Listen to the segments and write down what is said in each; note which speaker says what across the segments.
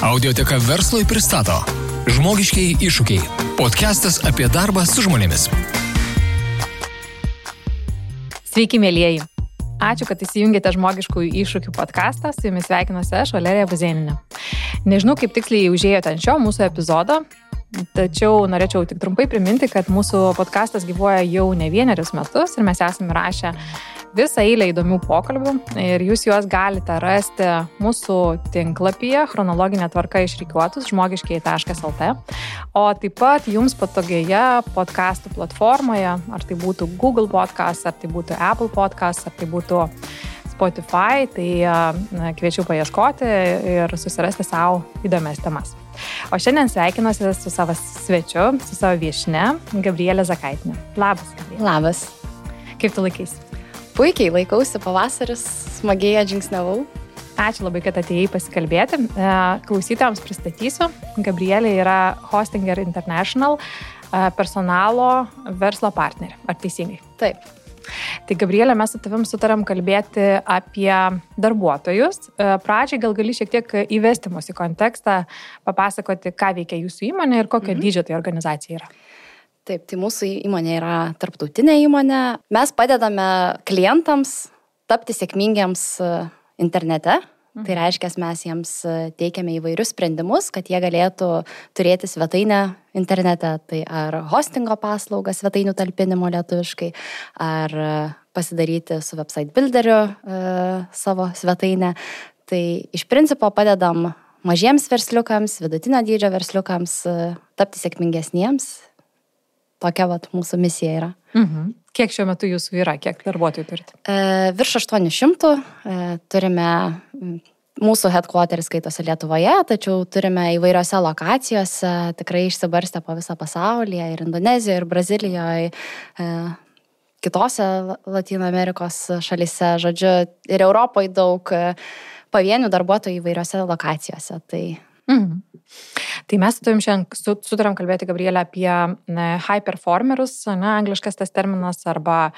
Speaker 1: Audioteka verslui pristato Žmogiškieji iššūkiai. Podcastas apie darbą su žmonėmis.
Speaker 2: Sveiki, mielieji. Ačiū, kad įsijungėte Žmogiškųjų iššūkių podcastą. Su jumis sveikinuosi aš, Valerija Buzėninė. Nežinau, kaip tiksliai užėjote ant šio mūsų epizodo, tačiau norėčiau tik trumpai priminti, kad mūsų podcastas gyvuoja jau ne vienerius metus ir mes esame rašę visą eilę įdomių pokalbių ir jūs juos galite rasti mūsų tinklapyje chronologinė tvarka išrikiuotus žmogiškieji.lt, o taip pat jums patogioje podcastų platformoje, ar tai būtų Google Podcast, ar tai būtų Apple Podcast, ar tai būtų Spotify, tai kviečiu paieškoti ir susirasti savo įdomias temas. O šiandien sveikinuosi su savo svečiu, su savo viešne, Gabrielė Zakaitinė. Labas, Gabrielė.
Speaker 3: Labas.
Speaker 2: Kaip tu laikaisi?
Speaker 3: Puikiai laikausi, pavasaris, smagiai atžingsniavau.
Speaker 2: Ačiū labai, kad atėjai pasikalbėti. Klausytojams pristatysiu. Gabrielė yra Hostinger International personalo verslo partnerė. Ar teisingai?
Speaker 3: Taip.
Speaker 2: Tai Gabrielė, mes su tavim sutarėm kalbėti apie darbuotojus. Pradžiai gal gali šiek tiek įvesti mus į kontekstą, papasakoti, ką veikia jūsų įmonė ir kokio dydžio tai organizacija yra.
Speaker 3: Taip, tai mūsų įmonė yra tarptautinė įmonė. Mes padedame klientams tapti sėkmingiams internete. Tai reiškia, mes jiems teikiame įvairius sprendimus, kad jie galėtų turėti svetainę internete. Tai ar hostingo paslaugą svetainių talpinimo lietuviškai, ar pasidaryti su website builderiu savo svetainę. Tai iš principo padedam mažiems versliukams, vidutinio dydžio versliukams tapti sėkmingesniems. Tokia mūsų misija yra.
Speaker 2: Kiek šiuo metu jūsų yra? Kiek darbuotojų turite?
Speaker 3: Virš 800. Turime, mūsų headquarteris skaitosi Lietuvoje, tačiau turime įvairiose lokacijose, tikrai išsibarstę po visą pasaulyje, ir Indonezijoje, ir Brazilijoje, kitose Latino Amerikos šalyse, žodžiu, ir Europoje daug pavienių darbuotojų įvairiose lokacijose.
Speaker 2: Tai mes su tavim šiandien sutarėm kalbėti, Gabrielė, apie high performerius, angliškas tas terminas, arba,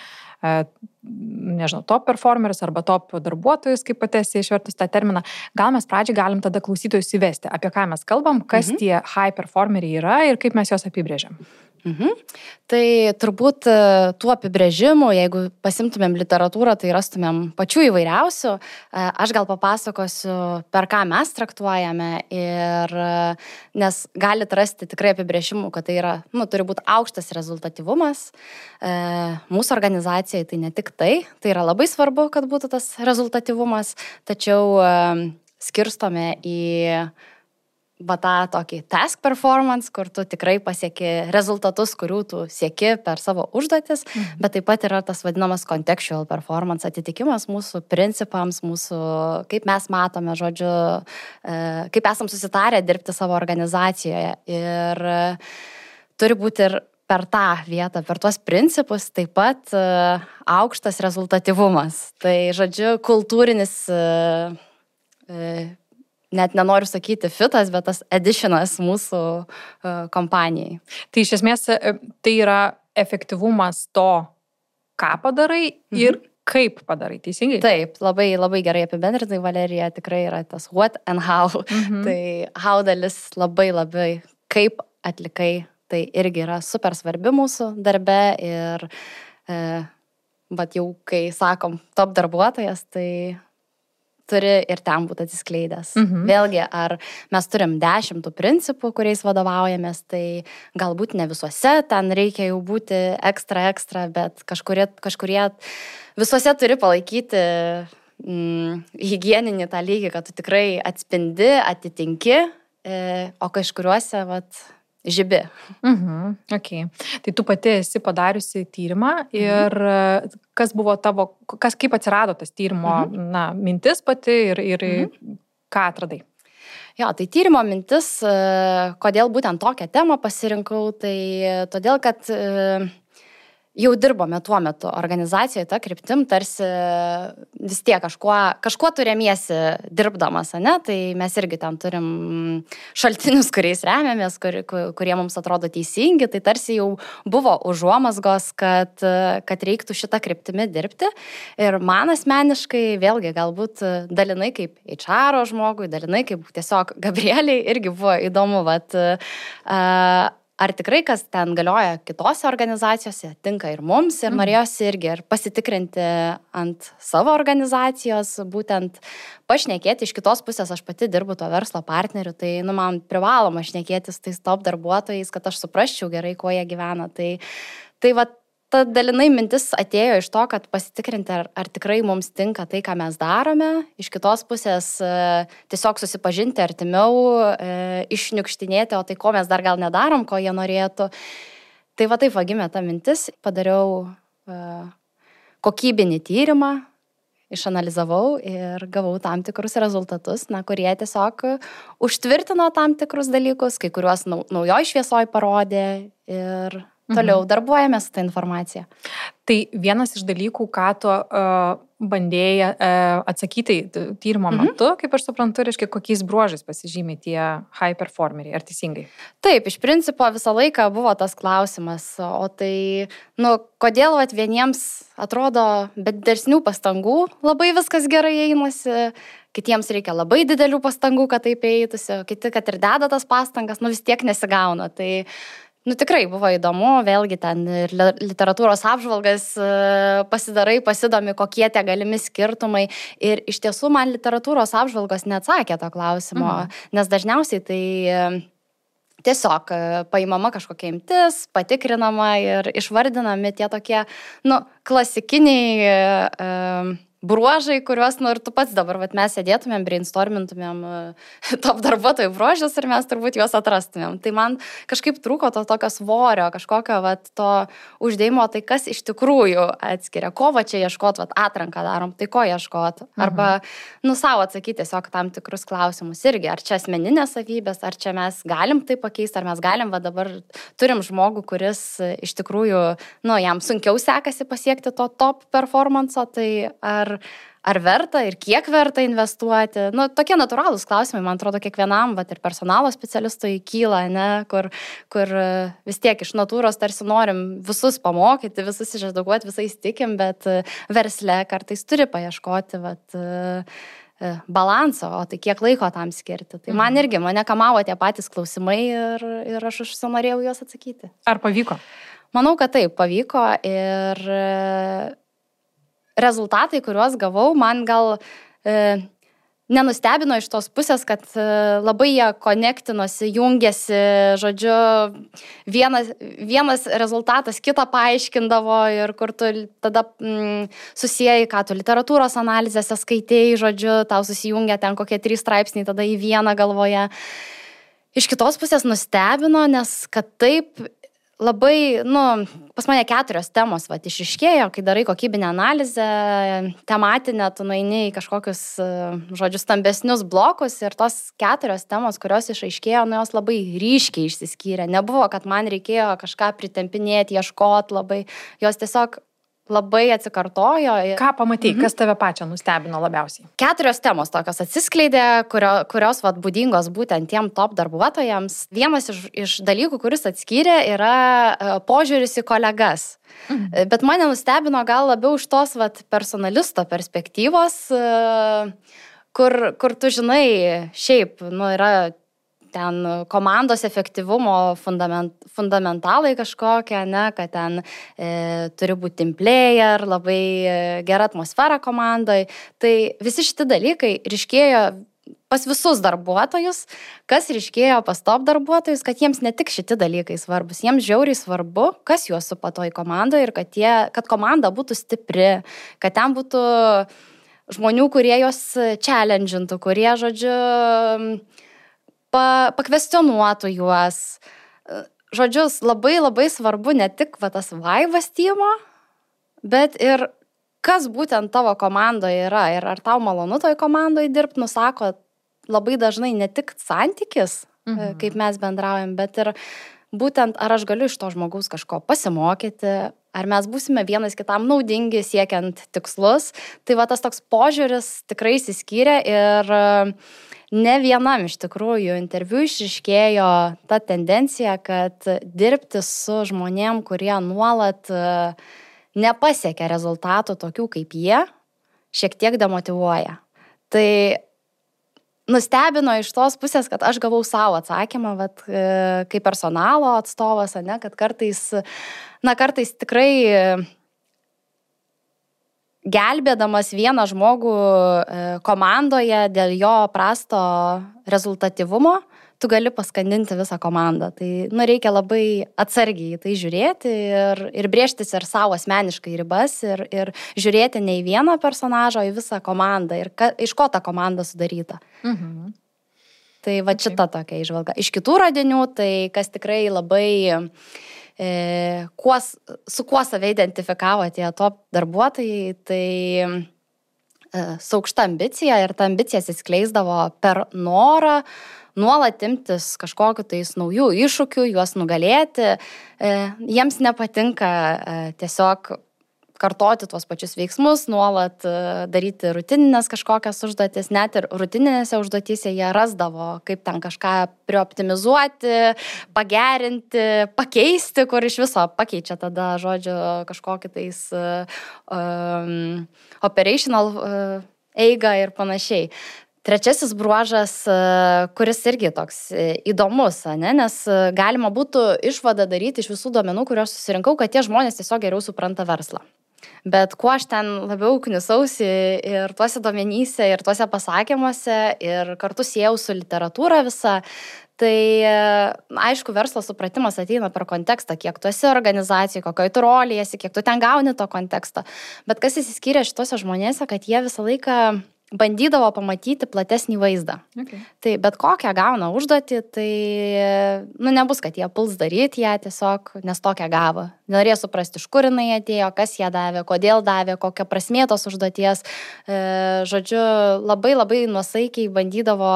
Speaker 2: nežinau, top performerius, arba top darbuotojus, kaip pati esi išvertus tą terminą. Gal mes pradžiai galim tada klausytojus įvesti, apie ką mes kalbam, kas tie high performeriai yra ir kaip mes juos apibrėžiam.
Speaker 3: Tai turbūt tų apibrėžimų, jeigu pasimtumėm literatūrą, tai rastumėm pačių įvairiausių. Aš gal papasakosiu, per ką mes traktuojame, nes galit rasti tikrai apibrėžimų, kad tai yra, turi būti aukštas rezultatyvumas. Mūsų organizacijai tai ne tik tai yra labai svarbu, kad būtų tas rezultatyvumas, tačiau skirstome į tą tokį task performance, kur tu tikrai pasieki rezultatus, kurių tu sieki per savo užduotis, bet taip pat yra tas vadinamas contextual performance, atitikimas mūsų principams, mūsų, kaip mes matome, žodžiu, kaip esam susitarę dirbti savo organizacijoje. Ir turi būti ir per tą vietą, per tuos principus taip pat aukštas rezultatyvumas. Tai, žodžiu, kultūrinis net nenoriu sakyti fitas, bet tas additionas mūsų kompanijai.
Speaker 2: Tai iš esmės tai yra efektyvumas to, ką padarai ir kaip padarai, teisingai?
Speaker 3: Taip, labai, labai gerai apibendrinai, Valerija, tikrai yra tas what and how. Tai how dalis labai, kaip atlikai, tai irgi yra super svarbi mūsų darbe ir bet jau kai sakom top darbuotojas, tai turi ir ten būti atsiskleidęs. Vėlgi, ar mes turim 10 principų, kuriais vadovaujamės, tai galbūt ne visuose, ten reikia jau būti ekstra, bet kažkurie visuose turi palaikyti higieninį tą lygį, kad tu tikrai atspindi, atitinki, o kažkuriuose, žibi.
Speaker 2: Okay. Tai tu pati esi padariusi tyrimą ir kas buvo tavo, kaip atsirado tas tyrimo mintis pati ir ką atradai?
Speaker 3: Jo, tai tyrimo mintis, kodėl būtent tokią temą pasirinkau, tai todėl, kad jau dirbome tuo metu organizacijoje, ta kryptim, tarsi vis tiek kažkuo turėmiesi dirbdamas, ne? Tai mes irgi ten turim šaltinius, kuriais remiamės, kurie mums atrodo teisingi, tai tarsi jau buvo užuomazgos, kad reiktų šitą kryptimį dirbti. Ir man asmeniškai, vėlgi, galbūt dalinai kaip HR žmogui, dalinai kaip tiesiog Gabrieliai irgi buvo įdomu, ar tikrai, kas ten galioja kitose organizacijose, tinka ir mums, ir norėjosi irgi ir pasitikrinti ant savo organizacijos, būtent pašnekėti iš kitos pusės, aš pati dirbu to verslo partneriu, tai man privaloma šnekėtis tais top darbuotojais, kad aš suprasčiau gerai, kuo jie gyvena. Tai ta dalinai mintis atėjo iš to, kad pasitikrinti, ar tikrai mums tinka tai, ką mes darome. Iš kitos pusės tiesiog susipažinti artimiau, išniukštinėti, o tai ko mes dar gal nedarom, ko jie norėtų. Tai taip gimė ta mintis. Padariau kokybinį tyrimą, išanalizavau ir gavau tam tikrus rezultatus, kurie tiesiog užtvirtino tam tikrus dalykus, kai kuriuos naujoj šviesoj parodė ir toliau darbuojamės tą informaciją.
Speaker 2: Tai vienas iš dalykų, ką tu bandėjai atsakyti tyrimo metu, kaip aš suprantu, reiškia, kokiais bruožais pasižymi tie high performeriai, ar teisingai?
Speaker 3: Taip, iš principo visą laiką buvo tas klausimas, o tai, kodėl vieniems atrodo be didesnių pastangų labai viskas gerai einasi, kitiems reikia labai didelių pastangų, kad taip eitųsi, kiti, kad ir deda tas pastangas, vis tiek nesigauna. Tai tikrai buvo įdomu, vėlgi ten ir literatūros apžvalgas pasidomi, kokie tie galimi skirtumai. Ir iš tiesų man literatūros apžvalgos neatsakė to klausimo, nes dažniausiai tai tiesiog paimama kažkokia imtis, patikrinama ir išvardinami tie tokie, klasikiniai bruožai, kuriuos, ir tu pats dabar, mes sėdėtumėm, brainstormintumėm top darbuotojų bruožus ir mes turbūt juos atrastumėm. Tai man kažkaip trūko to tokio svorio, kažkokio to uždėjimo, tai kas iš tikrųjų atskiria, ko čia ieškot, atranką darom, tai ko ieškot. Arba, savo atsakyti tiesiog tam tikrus klausimus irgi, ar čia asmeninės savybės, ar čia mes galim tai pakeisti, ar mes galim, dabar turim žmogų, kuris iš tikrųjų, jam sunkiau sekasi pasiekti to top performanso, tai ar verta ir kiek verta investuoti. Tokie natūralūs klausimai, man atrodo, kiekvienam, ir personalo specialistui kyla, kur vis tiek iš natūros tarsi norim visus pamokyti, visus išedukuoti, visais tikim, bet versle kartais turi paieškoti, balanso, o tai kiek laiko tam skirti. Tai man irgi, mane kamavo tie patys klausimai ir aš užsinorėjau juos atsakyti.
Speaker 2: Ar pavyko?
Speaker 3: Manau, kad taip, pavyko ir rezultatai, kuriuos gavau, man gal nenustebino iš tos pusės, kad labai jie konektinosi, jungėsi, žodžiu, vienas rezultatas kitą paaiškindavo ir kur tu tada susijai, ką tu literatūros analizėse skaitėjai, žodžiu, tau susijungia ten kokie 3 straipsniai tada į vieną galvoje. Iš kitos pusės nustebino, nes kad taip labai, pas mane 4 temos išryškėjo, kai darai kokybinę analizę, tematinę, tu nueini į kažkokius, stambesnius blokus ir tos 4 temos, kurios išaiškėjo, jos labai ryškiai išsiskyrė. Nebuvo, kad man reikėjo kažką pritempinėti, ieškoti labai, jos tiesiog labai atsikartojo.
Speaker 2: Ką pamatei, kas tave pačią nustebino labiausiai? 4
Speaker 3: temos tokios atsiskleidė, kurios būdingos būtent tiem top darbuotojams. Vienas iš dalykų, kuris atskyrė, yra požiūris į kolegas. Bet mane nustebino gal labiau iš tos personalisto perspektyvos, kur tu žinai, šiaip, yra ten komandos efektyvumo fundamentalai kažkokie, kad ten turi būti team player, labai gera atmosfera komandai. Tai visi šitie dalykai ryškėjo pas visus darbuotojus, kas ryškėjo pas top darbuotojus, kad jiems ne tik šitie dalykai svarbus, jiems žiauriai svarbu, kas juos supa toj komandoje ir kad komanda būtų stipri, kad ten būtų žmonių, kurie juos challengintų, kurie, žodžiu, pakvestionuotų juos. Žodžiu, labai labai svarbu ne tik tas vaibas timo, bet ir kas būtent tavo komandoje yra ir ar tau malonu toj komandoje dirbti, nusako labai dažnai ne tik santykis, kaip mes bendraujam, bet ir būtent ar aš galiu iš to žmogaus kažko pasimokyti, ar mes būsime vienas kitam naudingi siekiant tikslus. Tai va tas toks požiūris tikrai įsiskyrė ir ne vienam iš tikrųjų interviu išryškėjo ta tendencija, kad dirbti su žmonėm, kurie nuolat nepasiekia rezultatų tokių kaip jie, šiek tiek demotyvuoja. Tai nustebino iš tos pusės, kad aš gavau savo atsakymą, kaip personalo atstovas, kad kartais tikrai gelbėdamas vieną žmogų komandoje dėl jo prasto rezultatyvumo, tu gali paskandinti visą komandą. Tai reikia labai atsargiai į tai žiūrėti ir brėžtis ir savo asmeniškai ribas ir žiūrėti ne į vieną personažą, o į visą komandą ir iš ko ta komanda sudaryta.
Speaker 2: Mhm.
Speaker 3: Tai šita tokia įžvalga. Iš kitų radinių, tai kas tikrai labai su kuo save identifikavo tie top darbuotojai, tai su aukšta ambicija ir ta ambicija atsiskleisdavo per norą nuolat imtis kažkokiu tais naujų iššūkių, juos nugalėti. Jiems nepatinka tiesiog kartoti tuos pačius veiksmus, nuolat daryti rutininės kažkokias užduotis, net ir rutininėse užduotyse jie rasdavo, kaip ten kažką prioptimizuoti, pagerinti, pakeisti, kur iš viso pakeičia tada, žodžiu, kažkokį tais operational eigą ir panašiai. Trečiasis bruožas, kuris irgi toks įdomus, nes galima būtų išvadą daryti iš visų duomenų, kuriuos susirinkau, kad tie žmonės tiesiog geriau supranta verslą. Bet kuo aš ten labiau knisausi ir tuose duomenyse, ir tuose pasakymuose, ir kartu siejau su literatūra visa, tai aišku, verslo supratimas ateina per kontekstą, kiek tu esi organizacijai, kokioj tu rolėje esi, kiek tu ten gauni to konteksto. Bet kas įsiskyrė šituose žmonėse, kad jie visą laiką bandydavo pamatyti platesnį vaizdą.
Speaker 2: Okay.
Speaker 3: Tai bet kokią gauna užduotį, tai nebus, kad jie puls daryti ją tiesiog, nes tokią gavo. Norėjo suprasti, iš kur jinai atėjo, kas ją davė, kodėl davė, kokią prasmė tos užduoties. Žodžiu, labai labai nuosaikiai bandydavo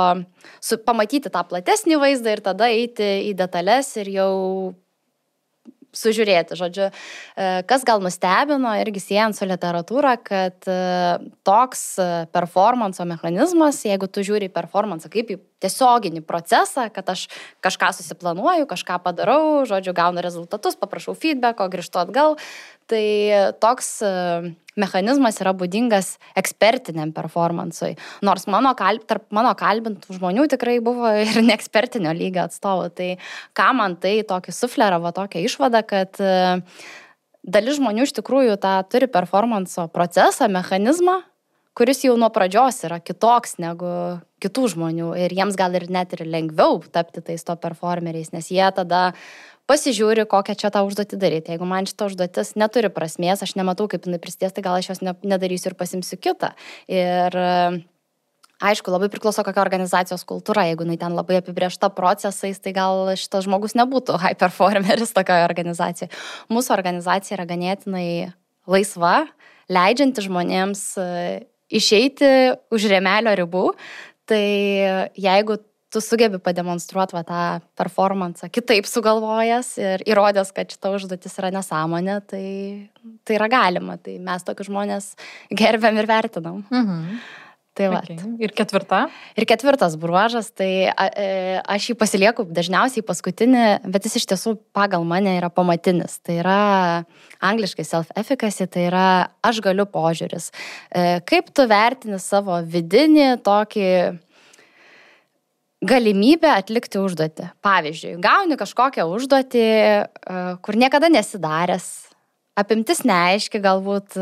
Speaker 3: pamatyti tą platesnį vaizdą ir tada eiti į detalės ir jau sužiūrėti. Žodžiu, kas gal nustebino irgi siejant su literatūra, kad toks performanso mechanizmas, jeigu tu žiūri į performansą kaip į tiesioginį procesą, kad aš kažką susiplanuoju, kažką padarau, žodžiu, gaunu rezultatus, paprašau feedbacko, grįžtu atgal, tai toks mechanizmas yra būdingas ekspertiniam performansui. Nors tarp mano kalbintų žmonių tikrai buvo ir neekspertinio lygio atstovų. Tai ką man tai tokį sufleravo, tokią išvadą, kad dalis žmonių iš tikrųjų tą turi performanso procesą, mechanizmą, kuris jau nuo pradžios yra kitoks negu kitų žmonių ir jiems gal ir net ir lengviau tapti tais to performeriais, nes jie tada pasižiūri, kokią čia tą užduotį daryti. Jeigu man šita užduotis neturi prasmės, aš nematau, kaip jinai prisidės, tai gal aš jos nedarysiu ir pasimsiu kitą. Ir aišku, labai priklauso kokia organizacijos kultūra. Jeigu jinai ten labai apibrėžta procesais, tai gal šitas žmogus nebūtų high performeris tokioje organizacijoje. Mūsų organizacija yra ganėtinai laisva, leidžianti žmonėms išeiti už rėmelio ribų. Tai jeigu tu sugebi pademonstruoti tą performansą kitaip sugalvojęs ir įrodęs, kad šita užduotis yra nesąmonė, tai yra galima. Tai mes tokius žmonės gerbiam ir vertinam.
Speaker 2: Mhm.
Speaker 3: Tai
Speaker 2: Okay. Ir ketvirta?
Speaker 3: Ir ketvirtas bruožas, tai aš jį pasilieku dažniausiai paskutinį, bet jis iš tiesų pagal mane yra pamatinis. Tai yra angliškai self-efficacy, tai yra aš galiu požiūris. Kaip tu vertini savo vidinį tokį galimybę atlikti užduotį. Pavyzdžiui, gauni kažkokią užduotį, kur niekada nesidaręs, apimtis neaiški, galbūt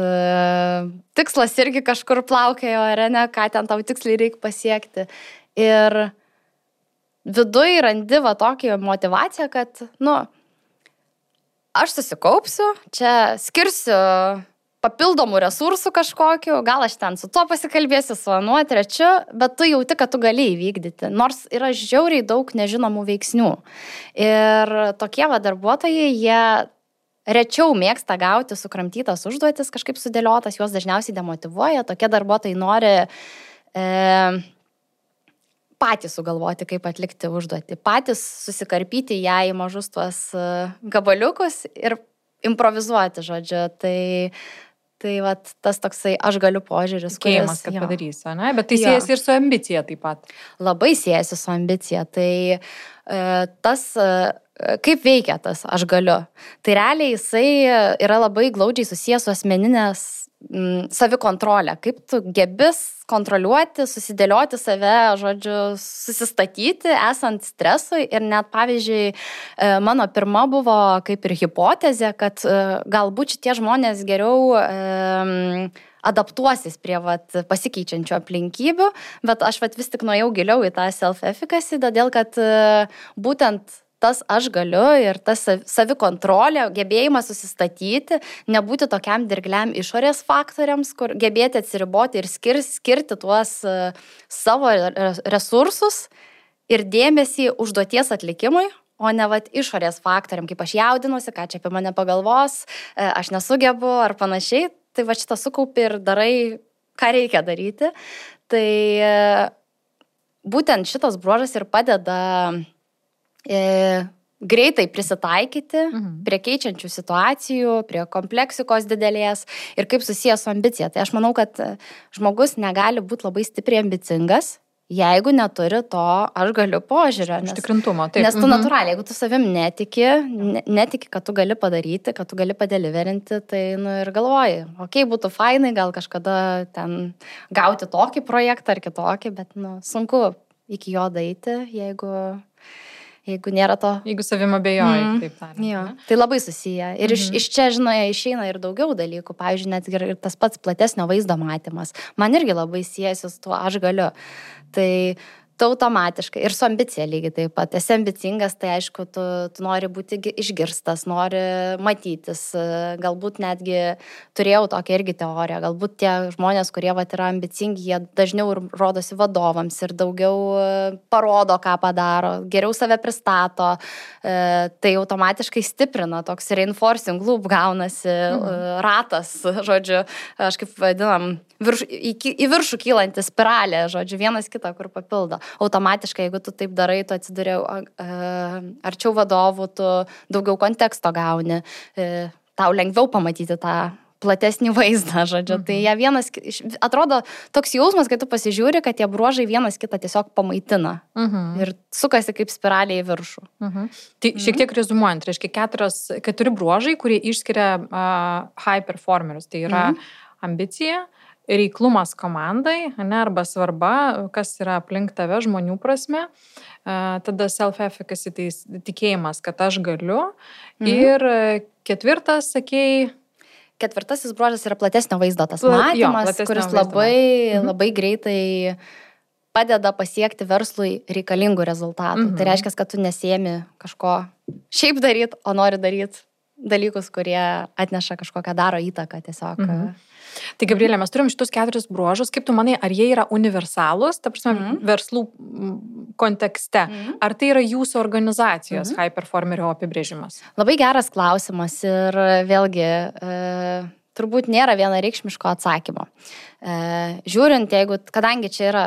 Speaker 3: tikslas irgi kažkur plaukėjo, ar ne, ką ten tau tiksliai reikia pasiekti. Ir viduj randi va tokį motivaciją, kad, aš susikaupsiu, čia skirsiu papildomų resursų kažkokiu, gal aš ten su tuo pasikalbėsiu, su anuo trečiu, bet tu jauti, kad tu gali įvykdyti, nors yra žiauriai daug nežinomų veiksnių. Ir tokie darbuotojai, jie rečiau mėgsta gauti sukramtytas užduotis, kažkaip sudėliotas, juos dažniausiai demotyvuoja, tokie darbuotojai nori patys sugalvoti, kaip atlikti užduotį, patys susikarpyti ją į mažus tuos gabaliukus ir improvizuoti, žodžiu. Tai vat, tas toksai aš galiu požiūris.
Speaker 2: Tikėjimas, kad padarysiu, ne? Bet tai siejasi ir su ambicija taip pat.
Speaker 3: Labai siejasi su ambicija. Tai tas, kaip veikia tas aš galiu. Tai realiai jisai yra labai glaudžiai susijęs su asmeninės savikontrolė. Kaip tu gebis kontroliuoti, susidėlioti save, žodžiu, susistatyti, esant stresui. Ir net, pavyzdžiui, mano pirma buvo kaip ir hipotezė, kad galbūt šitie žmonės geriau adaptuosis prie pasikeičiančių aplinkybių, bet aš vis tik nuėjau giliau į tą self-efficacy, todėl kad būtent tas aš galiu ir tas savikontrolė, gebėjimas susistatyti, nebūti tokiam dirgliam išorės faktoriams, kur gebėti atsiriboti ir skirti tuos savo resursus ir dėmesį užduoties atlikimui, o ne išorės faktoriam, kaip aš jaudinuosi, ką čia apie mane pagalvos, aš nesugebu ar panašiai. Tai šitą sukaupi ir darai, ką reikia daryti. Tai būtent šitas bruožas ir padeda greitai prisitaikyti prie keičiančių situacijų, prie kompleksikos didelės ir kaip susijęs su ambicija. Tai aš manau, kad žmogus negali būti labai stipriai ambicingas, jeigu neturi to aš galiu požiūrio.
Speaker 2: Užtikrintumo, taip.
Speaker 3: Nes tu natūraliai, jeigu tu savim netiki, kad tu gali padaryti, kad tu gali padeliverinti, tai ir galvoji, būtų fainai gal kažkada ten gauti tokį projektą ar kitokį, bet sunku iki jo daeiti, jeigu nėra to.
Speaker 2: Jeigu savim abejoji, taip tariant.
Speaker 3: Jo, tai labai susiję. Ir iš čia, išeina ir daugiau dalykų. Pavyzdžiui, net ir tas pats platesnio vaizdo matymas. Man irgi labai siejasi su tuo aš galiu. Tai automatiškai ir su ambicija lygiai taip pat. Esi ambicingas, tai aišku, tu nori būti išgirstas, nori matytis. Galbūt netgi turėjau tokią irgi teoriją. Galbūt tie žmonės, kurie yra ambicingi, jie dažniau ir rodosi vadovams ir daugiau parodo, ką padaro, geriau save pristato. Tai automatiškai stiprina, toks reinforcing loop gaunasi, ratas, žodžiu, aš kaip vadinam, į viršų kylanti spiralė, žodžiu, vienas kitą, kur papildo. Automatiškai, jeigu tu taip darai, tu atsiduri arčiau vadovų, tu daugiau konteksto gauni, tau lengviau pamatyti tą platesnį vaizdą, žodžiu. Tai jie atrodo toks jausmas, kad tu pasižiūri, kad tie bruožai vienas kitą tiesiog pamaitina ir sukasi kaip spiralė į viršų.
Speaker 2: Tai šiek tiek rezumuojant, reiškia 4 bruožai, kurie išskiria high performerius. Tai yra ambicija, reiklumas komandai, arba svarba, kas yra aplink tave žmonių prasme, tada self-efficacy, tai tikėjimas, kad aš galiu. Ir 4, sakėjai...
Speaker 3: 4 bruožas yra platesnio vaizdo tas matymas, kuris labai greitai padeda pasiekti verslui reikalingų rezultatų. Tai reiškia, kad tu nesiemi kažko šiaip daryti, o nori daryti dalykus, kurie atneša kažkokią daro įtaką tiesiog.
Speaker 2: Tai Gabrielė, mes turim šitus 4 bruožus. Kaip tu manai, ar jie yra universalūs, ta prasme, verslų kontekste? Ar tai yra jūsų organizacijos high performerio apibrėžimas?
Speaker 3: Labai geras klausimas ir vėlgi turbūt nėra vienareikšmiško atsakymo. Žiūrint, kadangi čia yra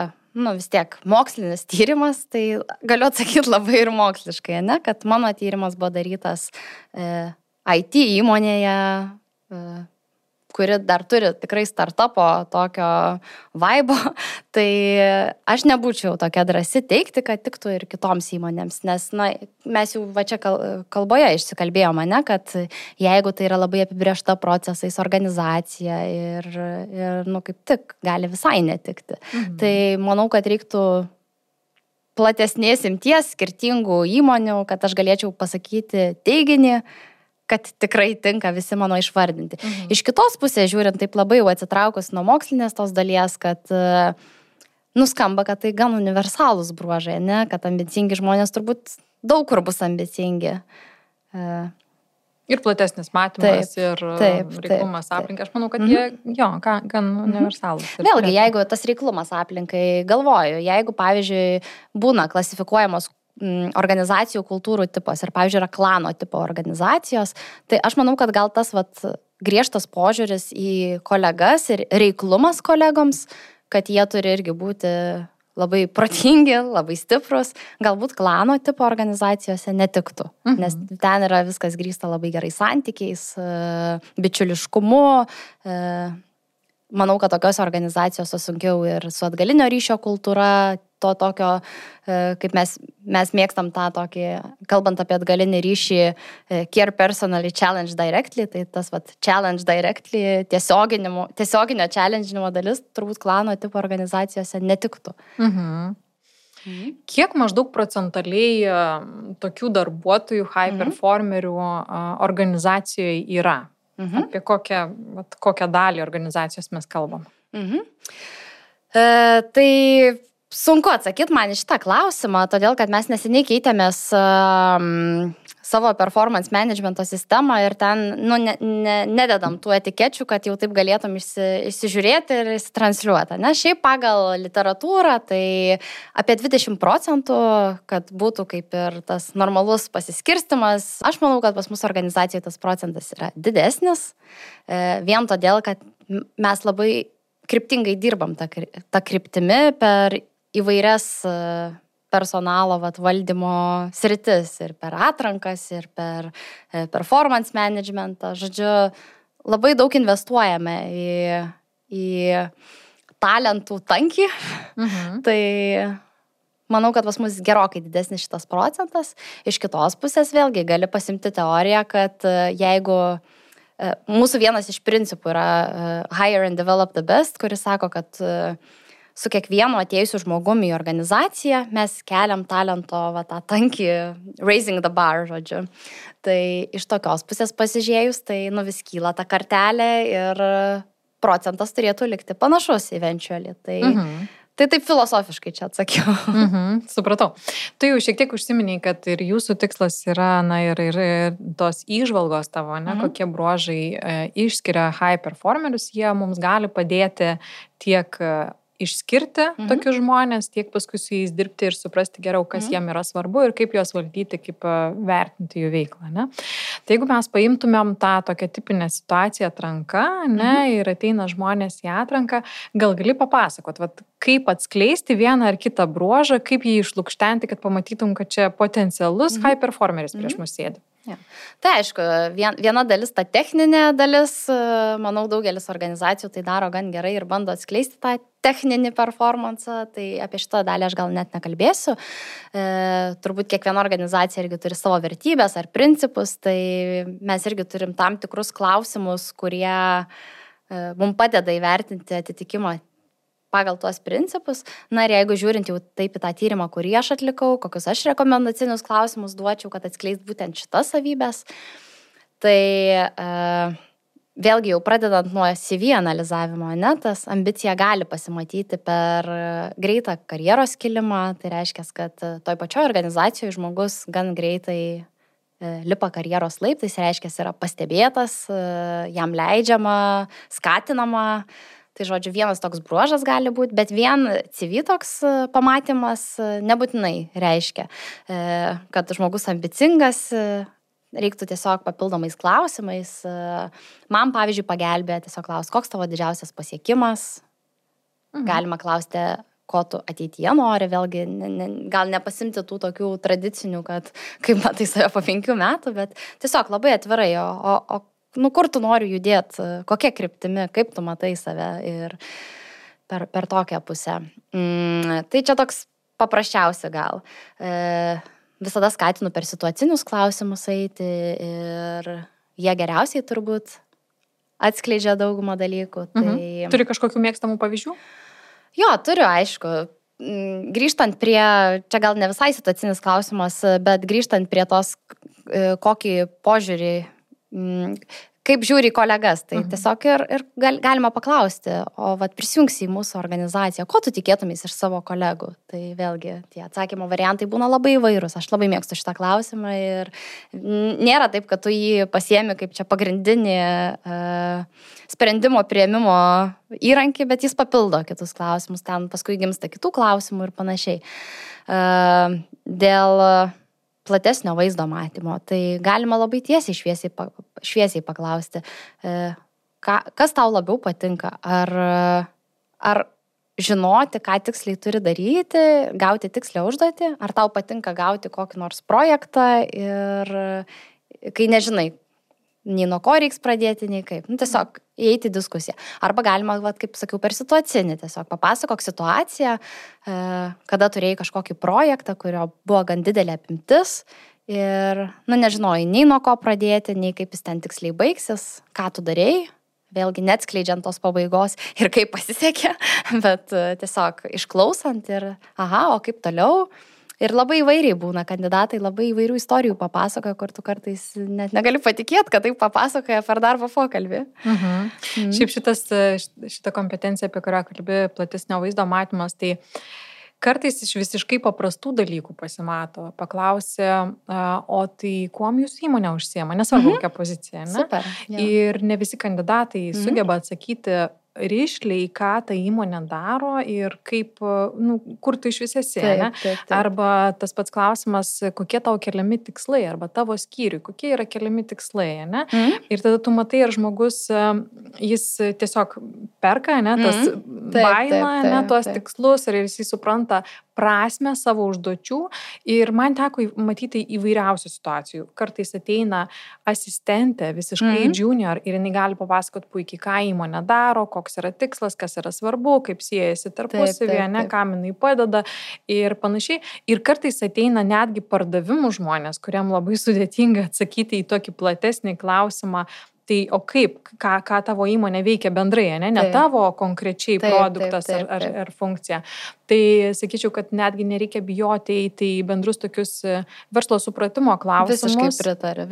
Speaker 3: vis tiek mokslinis tyrimas, tai galiu atsakyti labai ir moksliškai, kad mano tyrimas buvo darytas IT įmonėje, kuri dar turi tikrai startupo tokio vaibo, tai aš nebūčiau tokia drąsi teikti, kad tiktų ir kitoms įmonėms, nes mes jau čia kalboje išsikalbėjome, kad jeigu tai yra labai apibrėžta procesais organizacija ir kaip tik gali visai netikti. Tai manau, kad reiktų platesnės imties skirtingų įmonių, kad aš galėčiau pasakyti teiginį, kad tikrai tinka visi mano išvardinti. Iš kitos pusės žiūrint, taip labai jau atsitraukus nuo mokslinės tos dalies, kad nuskamba, kad tai gan universalūs bruožai, kad ambicingi žmonės turbūt daug kur bus ambicingi.
Speaker 2: Ir platesnis matymas, ir reiklumas aplinkai. Aš manau, kad jie, gan universalūs.
Speaker 3: Vėlgi, jeigu tas reiklumas aplinkai, galvoju, jeigu, pavyzdžiui, būna klasifikuojamos organizacijų kultūrų tipos ir, pavyzdžiui, yra klano tipo organizacijos, tai aš manau, kad gal tas griežtas požiūris į kolegas ir reiklumas kolegoms, kad jie turi irgi būti labai protingi, labai stiprus, galbūt klano tipo organizacijose netiktų, nes ten yra viskas grįsta labai gerai santykiais, bičiuliškumu. Manau, kad tokios organizacijos sunkiau ir su atgalinio ryšio kultūra, to tokio, kaip mes mėgstam tą tokį, kalbant apie atgalinį ryšį, care personally, challenge directly, tai tas challenge directly, tiesioginio challenge'inimo dalis turbūt klano tipo organizacijose netiktų.
Speaker 2: Kiek maždaug procentaliai tokių darbuotojų, high performerių organizacijoje yra? Apie kokią dalį organizacijos mes kalbam?
Speaker 3: Tai sunku atsakyti man į šitą klausimą, todėl kad mes neseniai keitėmės savo performance managemento sistemą ir ten nededam tų etikečių, kad jau taip galėtum įsižiūrėti ir įsitransliuoti. Šiaip pagal literatūrą tai apie 20%, kad būtų kaip ir tas normalus pasiskirstimas. Aš manau, kad pas mus organizacijoje tas procentas yra didesnis, vien todėl, kad mes labai kryptingai dirbam tą kryptimi per įvairias personalo valdymo sritis ir per atrankas, ir per performance managementą. Žodžiu, labai daug investuojame į talentų tankį. Tai manau, kad pas mus gerokai didesnis šitas procentas. Iš kitos pusės vėlgi gali pasimti teoriją, kad jeigu mūsų vienas iš principų yra hire and develop the best, kuris sako, kad su kiekvienu atėjusiu žmogumi į organizaciją mes keliam talento tą tankį, raising the bar, žodžiu. Tai iš tokios pusės pasižiūrėjus, tai vis kyla ta kartelė ir procentas turėtų likti panašus eventually. Tai taip filosofiškai čia atsakiau.
Speaker 2: Supratau. Tu jau šiek tiek užsiminiai, kad ir jūsų tikslas yra, ir tos įžvalgos tavo, kokie bruožai išskiria high performerius, jie mums gali padėti tiek išskirti tokius žmonės, tiek paskui su jais dirbti ir suprasti geriau, kas jiem yra svarbu ir kaip juos valdyti, kaip vertinti jų veiklą. Tai jeigu mes paimtumėm tą tokią tipinę situaciją atranka, ir ateina žmonės į atranką, gal gali papasakot, kaip atskleisti vieną ar kitą bruožą, kaip jį išlukštenti, kad pamatytum, kad čia potencialus high performeris prieš mus sėdi.
Speaker 3: Ja. Tai aišku, viena dalis, ta techninė dalis, manau, daugelis organizacijų tai daro gan gerai ir bando atskleisti tą techninį performansą, tai apie šitą dalį aš gal net nekalbėsiu. Turbūt kiekviena organizacija irgi turi savo vertybės ar principus, tai mes irgi turim tam tikrus klausimus, kurie mums padeda įvertinti atitikimą pagal tuos principus. Ir jeigu žiūrint jau taip į tą tyrimą, kurį aš atlikau, kokius aš rekomendacinius klausimus duočiau, kad atskleist būtent šitas savybės, tai vėlgi jau pradedant nuo CV analizavimo, tas ambicija gali pasimatyti per greitą karjeros kilimą, tai reiškia, kad toj pačioj organizacijoje žmogus gan greitai lipa karjeros laiptais, reiškia, yra pastebėtas, jam leidžiama, skatinama. Tai žodžiu, vienas toks bruožas gali būti, bet vien CV toks pamatymas nebūtinai reiškia, kad žmogus ambicingas, reiktų tiesiog papildomais klausimais. Man, pavyzdžiui, pagelbėja tiesiog klausti, koks tavo didžiausias pasiekimas. Galima klausti, ko tu ateityje nori, vėlgi gal nepasimti tų tokių tradicinių, kad kaip matai save po 5 metų, bet tiesiog labai atvirai, kur tu nori judėti, kokia kryptimi, kaip tu matai save ir per tokią pusę. Tai čia toks paprasčiausia gal. Visada skatinu per situacinius klausimus eiti ir jie geriausiai turbūt atskleidžia daugumą dalykų.
Speaker 2: Turi kažkokių mėgstamų pavyzdžių?
Speaker 3: Jo, turiu, aišku. Grįžtant prie, čia gal ne visai situacinis klausimas, bet grįžtant prie tos, kokį požiūrį, kaip žiūri kolegas, tai tiesiog ir galima paklausti, o prisijungsi į mūsų organizaciją, ko tu tikėtumės iš savo kolegų? Tai vėlgi tie atsakymo variantai būna labai įvairūs, aš labai mėgstu šitą klausimą ir nėra taip, kad tu jį pasiemi kaip čia pagrindinį sprendimo priėmimo įrankį, bet jis papildo kitus klausimus, ten paskui gimsta kitų klausimų ir panašiai. Dėl platesnio vaizdo matymo, tai galima labai tiesiai šviesiai paklausti, kas tau labiau patinka, ar žinoti, ką tiksliai turi daryti, gauti tikslę užduotį, ar tau patinka gauti kokį nors projektą ir kai nežinai, nei nuo ko reiks pradėti, nei kaip. Tiesiog įeiti į diskusiją. Arba galima, kaip sakiau, per situacinį. Tiesiog papasakok situaciją, kada turėjai kažkokį projektą, kurio buvo gan didelė apimtis ir, nežinojai, nei nuo ko pradėti, nei kaip jis ten tiksliai baigsis, ką tu darėjai. Vėlgi neatskleidžiant tos pabaigos ir kaip pasisekė, bet tiesiog išklausant ir, o kaip toliau. Ir labai įvairiai būna kandidatai, labai įvairių istorijų papasakoja, kur tu kartais net negali patikėti, kad taip papasakoja per darbo pokalbį.
Speaker 2: Šiaip šita kompetencija, apie kurią kalbi, platesnio vaizdo matymas, tai kartais iš visiškai paprastų dalykų pasimato. Paklausė, o tai kuom jūsų įmonė užsiema, nesvarbu kokią poziciją, ne?
Speaker 3: Super,
Speaker 2: ir ne visi kandidatai sugeba atsakyti rišliai, ką ta įmonė daro ir kaip, kur tu iš vis esi, ne?
Speaker 3: Taip.
Speaker 2: Arba tas pats klausimas, kokie tau keliami tikslai, arba tavo skyriui, kokie yra keliami tikslai, ne? Ir tada tu matai, ar žmogus, jis tiesiog perka, ne, tas baila, ne, tuos tikslus, ar jis supranta prasmę savo užduočių. Ir man teko matyti įvairiausių situacijų. Kartais ateina asistentė, visiškai junior, ir jinai gali papasakoti puikiai, ką įmonė daro, koks yra tikslas, kas yra svarbu, kaip siejasi tarpusavyje, ne, kam jinai padeda ir panašiai. Ir kartais ateina netgi pardavimų žmonės, kuriam labai sudėtinga atsakyti į tokį platesnį klausimą. Tai o kaip, ką tavo įmonė veikia bendrai, ne tavo konkrečiai produktas ar funkcija. Tai sakyčiau, kad netgi nereikia bijoti eiti į bendrus tokius verslo supratimo klausimus.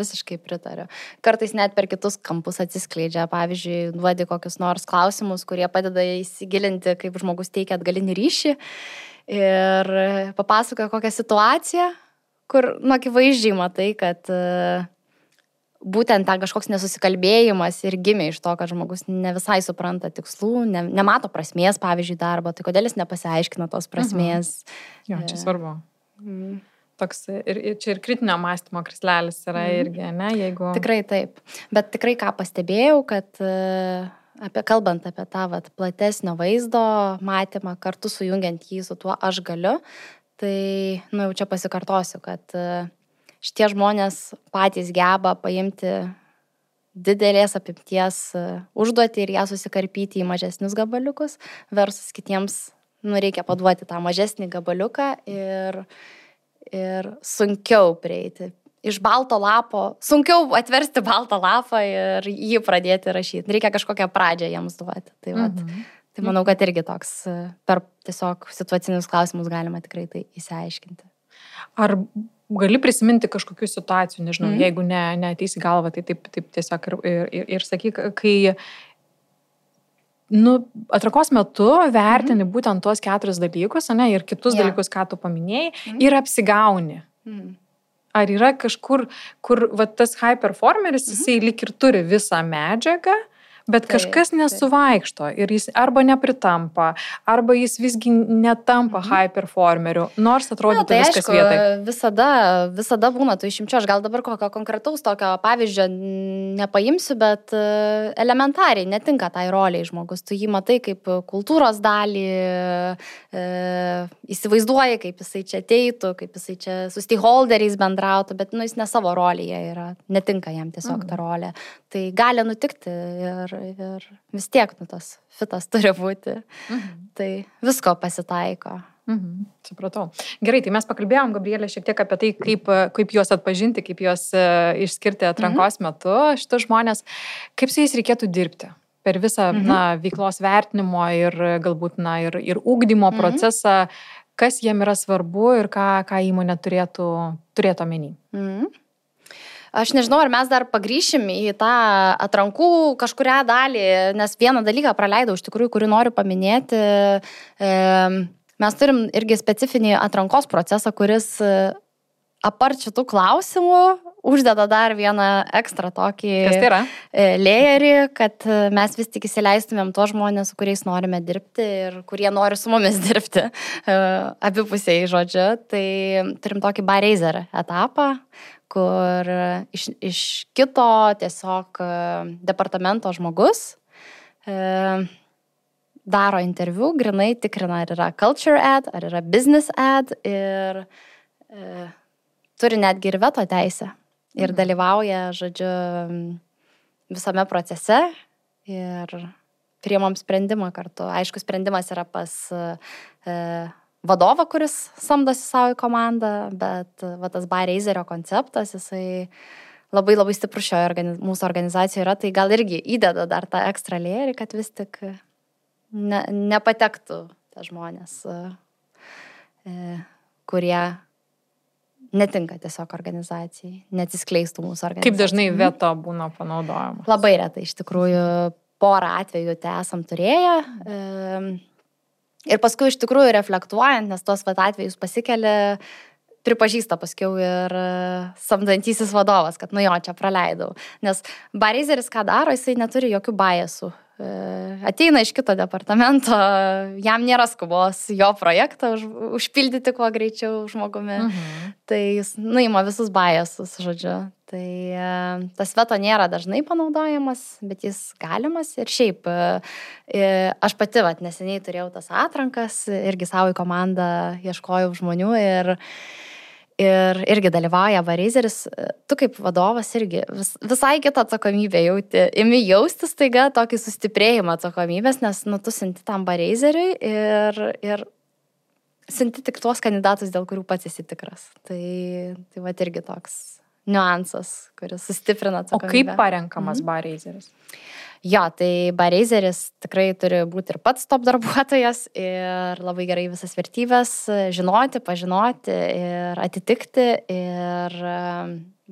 Speaker 3: Visiškai pritariu. Kartais net per kitus kampus atsiskleidžia. Pavyzdžiui, duodi kokius nors klausimus, kurie padeda įsigilinti, kaip žmogus teikia atgalinį ryšį ir papasakoja kokią situaciją, kur, akivaizdžiai matai, kad būtent ten kažkoks nesusikalbėjimas ir gimė iš to, kad žmogus ne visai supranta tikslų, nemato prasmės, pavyzdžiui, darbo, tai kodėl jis nepasiaiškina tos prasmės.
Speaker 2: Jo, čia svarbu. Toks ir čia ir kritinio mąstymo krislelis yra irgi, ne, jeigu...
Speaker 3: Tikrai taip. Bet tikrai ką pastebėjau, kad kalbant apie tą platesnio vaizdo matymą, kartu sujungiant jį su tuo aš galiu, tai, jau čia pasikartosiu, kad šitie žmonės patys geba paimti didelės apimties užduotį ir ją susikarpyti į mažesnius gabaliukus, versus kitiems, reikia paduoti tą mažesnį gabaliuką ir sunkiau prieiti. Iš balto lapo, sunkiau atversti baltą lapą ir jį pradėti rašyti. Reikia kažkokią pradžią jiems duoti. Tai manau, kad irgi toks per tiesiog situacinius klausimus galima tikrai tai įsiaiškinti.
Speaker 2: Ar gali prisiminti kažkokių situacijų, nežinau, jeigu neateis į galvą, tai taip tiesiog ir sakyk, kai atrankos metu vertini būtent tuos 4 dalykus, ne, ir kitus dalykus, ką tu paminėjai, ir apsigauni. Ar yra kažkur, kur tas high performeris, jisai lyg ir turi visą medžiagą, bet kažkas nesuvaikšto ir jis arba nepritampa, arba jis visgi netampa high performeriu, nors atrodytų viskas vietai.
Speaker 3: Visada būna tų išimčių. Aš gal dabar kokio konkretaus tokio pavyzdžio nepaimsiu, bet elementariai netinka tai roliai žmogus. Tu jį matai kaip kultūros dalį, įsivaizduoji, kaip jisai čia ateitų, kaip jisai čia su stakeholderiais bendrautų, bet jis ne savo rolėje yra, netinka jam tiesiog ta rolė. Tai gali nutikti ir vis tiek tas fitas turi būti. Tai visko pasitaiko.
Speaker 2: Supratau. Gerai, tai mes pakalbėjom, Gabrielė, šiek tiek apie tai, kaip juos atpažinti, kaip juos išskirti atrankos metu, šitus žmonės, kaip su jais reikėtų dirbti per visą veiklos vertinimo ir galbūt ir ugdymo procesą, kas jiem yra svarbu ir ką įmonė turėtų omeny.
Speaker 3: Aš nežinau, ar mes dar pagrįšim į tą atrankų kažkurią dalį, nes vieną dalyką praleidau iš tikrųjų, kurį noriu paminėti. Mes turim irgi specifinį atrankos procesą, kuris apart šitų klausimų uždeda dar vieną ekstra tokį layerį, kad mes vis tik įsileistumėm tuos žmonės, su kuriais norime dirbti ir kurie nori su mumis dirbti abipusiai, žodžiu. Tai turim tokį bar raiser etapą, kur iš kito tiesiog departamento žmogus daro interviu, grinai tikrina, ar yra culture ad, ar yra business ad ir turi netgi ir veto teisę. Ir dalyvauja, žodžiu, visame procese ir priimam sprendimą kartu. Aišku, sprendimas yra pas vadovą, kuris samdosi savo į komandą, bet va, tas Barreizerio konceptas, jisai labai labai stiprus mūsų organizacijoje yra, tai gal irgi įdeda dar tą ekstra layerį, kad vis tik nepatektų tie žmonės, kurie netinka tiesiog organizacijai, neatsiskleistų mūsų organizacijai.
Speaker 2: Kaip dažnai veto būna panaudojama?
Speaker 3: Labai retai, iš tikrųjų, porą atvejų te esam turėję. Ir paskui iš tikrųjų reflektuojant, nes tos atvejus pasikelia, pripažįsta paskiau ir samdantysis vadovas, kad jo, čia praleidau. Nes Barreizeris ką daro, jisai neturi jokių biasų. Ateina iš kito departamento, jam nėra skubos jo projektą užpildyti kuo greičiau žmogumi. Tai jis nuima visus biasus, žodžiu. Tai tas veto nėra dažnai panaudojamas, bet jis galimas. Ir šiaip, aš pati neseniai turėjau tas atrankas, irgi savo į komandą ieškojau žmonių ir irgi dalyvauja Barreizeris. Tu kaip vadovas irgi visai kitą atsakomybę jauti. Imi jaustis taiga tokį sustiprėjimą atsakomybės, nes tu sinti tam Barreizeriui ir sinti tik tuos kandidatus, dėl kurių pats esi tikras. Tai va irgi toks niuansas, kuris sustiprina atsakomybę.
Speaker 2: O kaip parenkamas Barreizeris?
Speaker 3: Jo, tai Barreizeris tikrai turi būti ir pats top darbuotojas ir labai gerai visas vertybės žinoti, pažinoti ir atitikti ir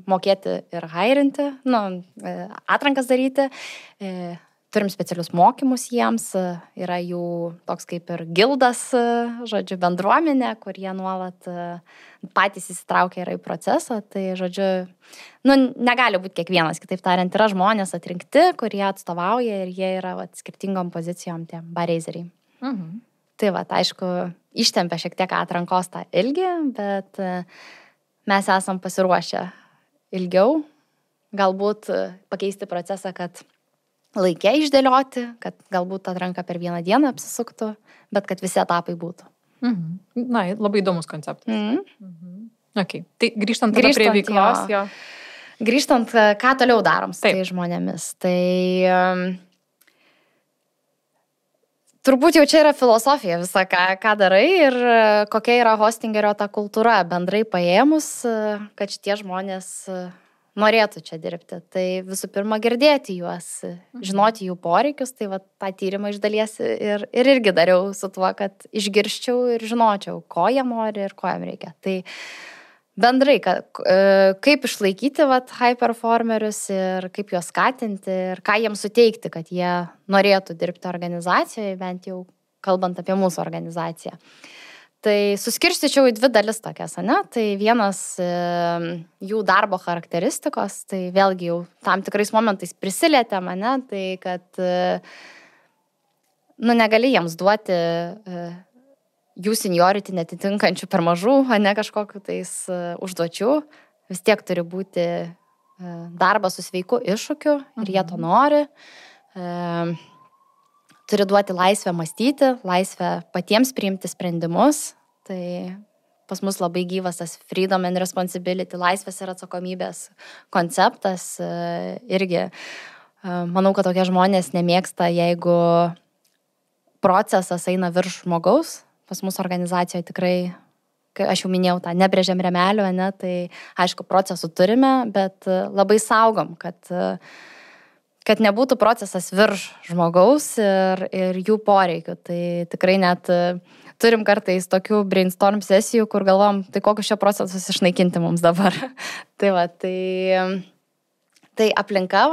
Speaker 3: mokėti ir hairinti, atrankas daryti. Turim specialius mokymus jiems, yra jų toks kaip ir gildas, žodžiu, bendruomenė, kur jie nuolat patys įsitraukia yra į procesą. Tai, žodžiu, negali būti kiekvienas, kitaip tariant, yra žmonės atrinkti, kurie atstovauja ir jie yra skirtingom pozicijom tie Barreizeriai. Tai aišku, ištempia šiek tiek atrankos tą ilgį, bet mes esam pasiruošę ilgiau, galbūt pakeisti procesą, kad laikė išdėlioti, kad galbūt atranka per vieną dieną apsisuktų, bet kad visi etapai būtų.
Speaker 2: Na, labai įdomus konceptas. Okay. Tai grįžtant prie veiklos.
Speaker 3: Grįžtant, ką toliau darom su tai žmonėmis. Tai turbūt jau čia yra filosofija visa, ką darai ir kokia yra hostingerio ta kultūra bendrai paėmus, kad šitie žmonės norėtų čia dirbti. Tai visų pirma girdėti juos, žinoti jų poreikius, tai tą tyrimą iš dalies ir irgi dariau su tuo, kad išgirščiau ir žinočiau, ko jie nori ir ko jam reikia. Tai bendrai, kaip išlaikyti high performerius ir kaip juos skatinti ir ką jiems suteikti, kad jie norėtų dirbti organizacijoje, bent jau kalbant apie mūsų organizaciją. Tai suskirstyčiau į dvi dalis tokias, ne? Tai vienas jų darbo charakteristikos, tai vėlgi jau tam tikrais momentais prisilietė mane, tai kad negali jiems duoti jų seniority netitinkančių per mažų, ne kažkokiu tais užduočių. Vis tiek turi būti darbas su sveiku iššūkiu ir jie to nori. Turi duoti laisvę mąstyti, laisvę patiems priimti sprendimus. Tai pas mus labai gyvas tas freedom and responsibility, laisvės ir atsakomybės konceptas. Irgi manau, kad tokie žmonės nemėgsta, jeigu procesas eina virš žmogaus. Pas mūsų organizacijoje tikrai, aš jau minėjau tą nebrėžiam remelio, ne, tai aišku, procesų turime, bet labai saugom, kad nebūtų procesas virš žmogaus ir jų poreikių. Tai tikrai net turim kartais tokių brainstorm sesijų, kur galvom, tai kokius šio procesus išnaikinti mums dabar. Tai aplinka,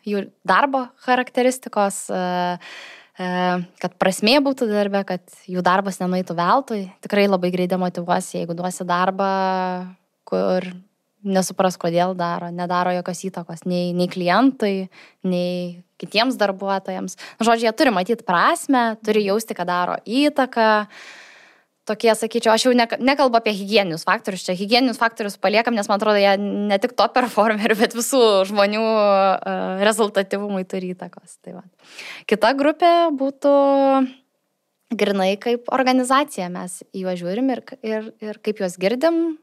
Speaker 3: jų darbo charakteristikos, kad prasmė būtų darbe, kad jų darbas nenueitų veltui. Tikrai labai greit demotyvuosi, jeigu duosi darbą, kur nesupras, kodėl nedaro jokios įtakos nei klientui, nei kitiems darbuotojams. Žodžiu, jie turi matyti prasmę, turi jausti, kad daro įtaką. Tokie, sakyčiau, aš jau nekalbu apie higieninius faktorius. Čia higieninius faktorius paliekam, nes man atrodo, jie ne tik top performerių, bet visų žmonių rezultatyvumui turi įtakos. Tai va. Kita grupė būtų grinai kaip organizacija mes į juos žiūrim ir kaip juos girdim,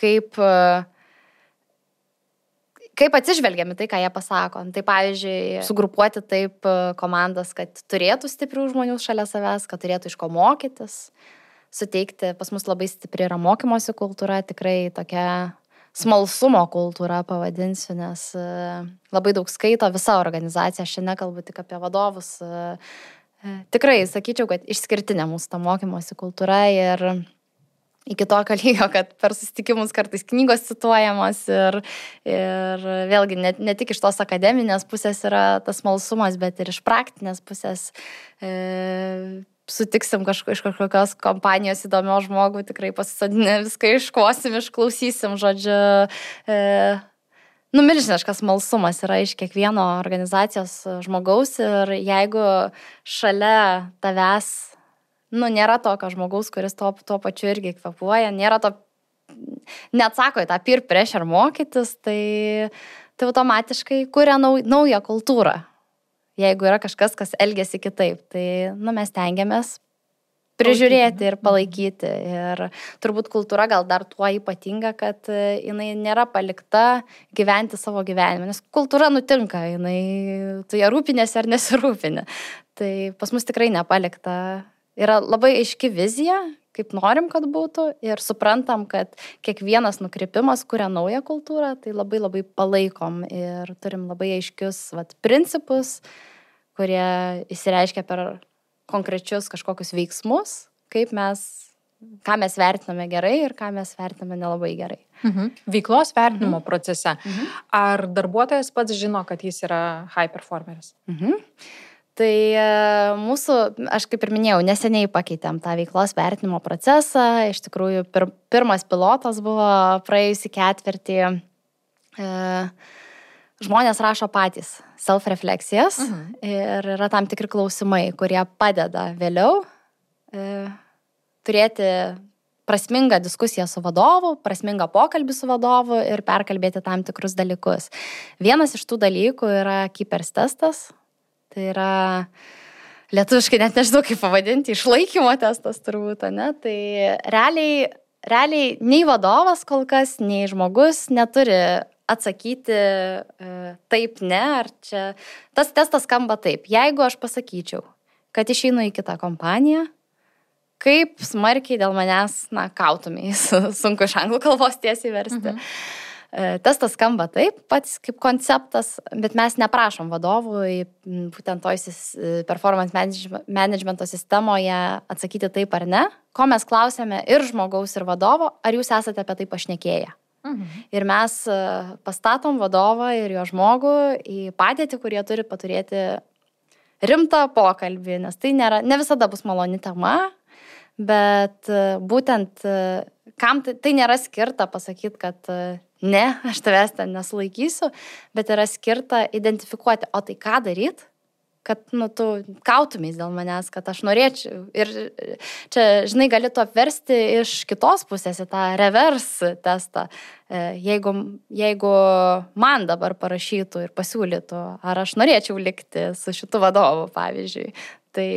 Speaker 3: kaip atsižvelgiami tai, ką jie pasako. Tai pavyzdžiui, sugrupuoti taip komandas, kad turėtų stiprių žmonių šalia savęs, kad turėtų iš ko mokytis, suteikti, pas mus labai stipri yra mokymosi kultūra, tikrai tokia smalsumo kultūra pavadinsiu, nes labai daug skaito visa organizacija, aš šiandien kalbu tik apie vadovus. Tikrai sakyčiau, kad išskirtinė mūsų ta mokymosi kultūra ir iki tokio lygio, kad per susitikimus kartais knygos cituojamos ir vėlgi ne tik iš tos akademinės pusės yra tas smalsumas, bet ir iš praktinės pusės sutiksim iš kažkokios kompanijos įdomios žmogų, tikrai pasisadinę viską iškosim, išklausysim, žodžiu, milžiniškas smalsumas yra iš kiekvieno organizacijos žmogaus ir jeigu šalia tavęs, nėra tokio žmogaus, kuris tuo pačiu irgi kvepuoja, nėra to, neatsako į tą peer pressure mokytis, tai automatiškai kuria naują kultūrą. Jeigu yra kažkas, kas elgiasi kitaip, tai mes tengiamės prižiūrėti ir palaikyti. Ir turbūt kultūra gal dar tuo ypatinga, kad jinai nėra palikta gyventi savo gyvenimą, nes kultūra nutinka, tu ją rūpinėsi ar nesirūpini. Tai pas mus tikrai nepalikta. Yra labai aiški vizija, kaip norim, kad būtų ir suprantam, kad kiekvienas nukrypimas kuria naują kultūrą, tai labai labai palaikom ir turim labai aiškius principus, kurie įsireiškia per konkrečius kažkokius veiksmus, ką mes vertiname gerai ir ką mes vertiname nelabai gerai.
Speaker 2: Veiklos vertinimo procese. Ar darbuotojas pats žino, kad jis yra high performeris?
Speaker 3: Tai mūsų, aš kaip ir minėjau, neseniai pakeitėm tą veiklos vertinimo procesą. Iš tikrųjų, pirmas pilotas buvo praėjusį ketvirtį. Žmonės rašo patys self-refleksijas ir yra tam tikri klausimai, kurie padeda vėliau turėti prasmingą diskusiją su vadovu, prasmingą pokalbį su vadovu ir perkalbėti tam tikrus dalykus. Vienas iš tų dalykų yra Keepers testas. Tai yra lietuviškai net nežinau kaip pavadinti, išlaikymo testas turbūt, ne? Tai realiai nei vadovas kol kas, nei žmogus neturi atsakyti taip, ne, ar čia. Tas testas skamba taip. Jeigu aš pasakyčiau, kad išeinu į kitą kompaniją, kaip smarkiai dėl manęs, kautumiais, sunku iš anglų kalbos tiesiai versti. Testas skamba taip, pats kaip konceptas, bet mes neprašom vadovų į būtent toj performance managemento sistemoje atsakyti taip ar ne, ko mes klausėme ir žmogaus, ir vadovo, ar jūs esate apie tai pašnekėję. Ir mes pastatom vadovą ir jo žmogų į padėtį, kurie turi paturėti rimtą pokalbį, nes tai ne visada bus maloni tema, bet būtent kam tai nėra skirta pasakyti, kad ne, aš tavęs ten nesulaikysiu, bet yra skirta identifikuoti, o tai ką daryt, kad tu kautumiais dėl manęs, kad aš norėčiau. Ir čia, žinai, gali to apversti iš kitos pusės į tą reverse testą. Jeigu man dabar parašytų ir pasiūlytų, ar aš norėčiau likti su šitu vadovu, pavyzdžiui, tai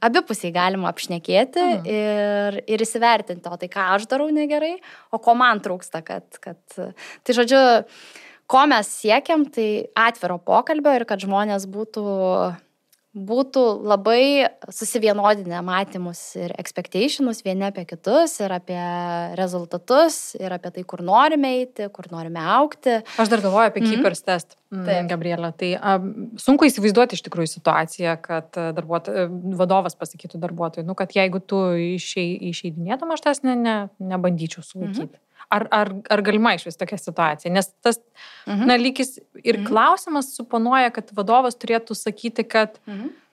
Speaker 3: abipusiai galima apšnekėti ir įsivertinti, o tai ką aš darau negerai, o ko man trūksta, Tai žodžiu, ko mes siekiam, tai atviro pokalbio ir kad žmonės būtų labai susivienodinę matymus ir expectationus vieni apie kitus ir apie rezultatus ir apie tai, kur norime eiti, kur norime augti.
Speaker 2: Aš dar galvoju apie Keepers test, Gabrielė. Tai sunku įsivaizduoti iš tikrųjų situaciją, kad vadovas pasakytų darbuotojui, kad jeigu tu išeidinėtum, aš tas nebandyčiau sulaikyti. Ar galima išvis tokia situacija? Nes tas lygis ir klausimas suponuoja, kad vadovas turėtų sakyti, kad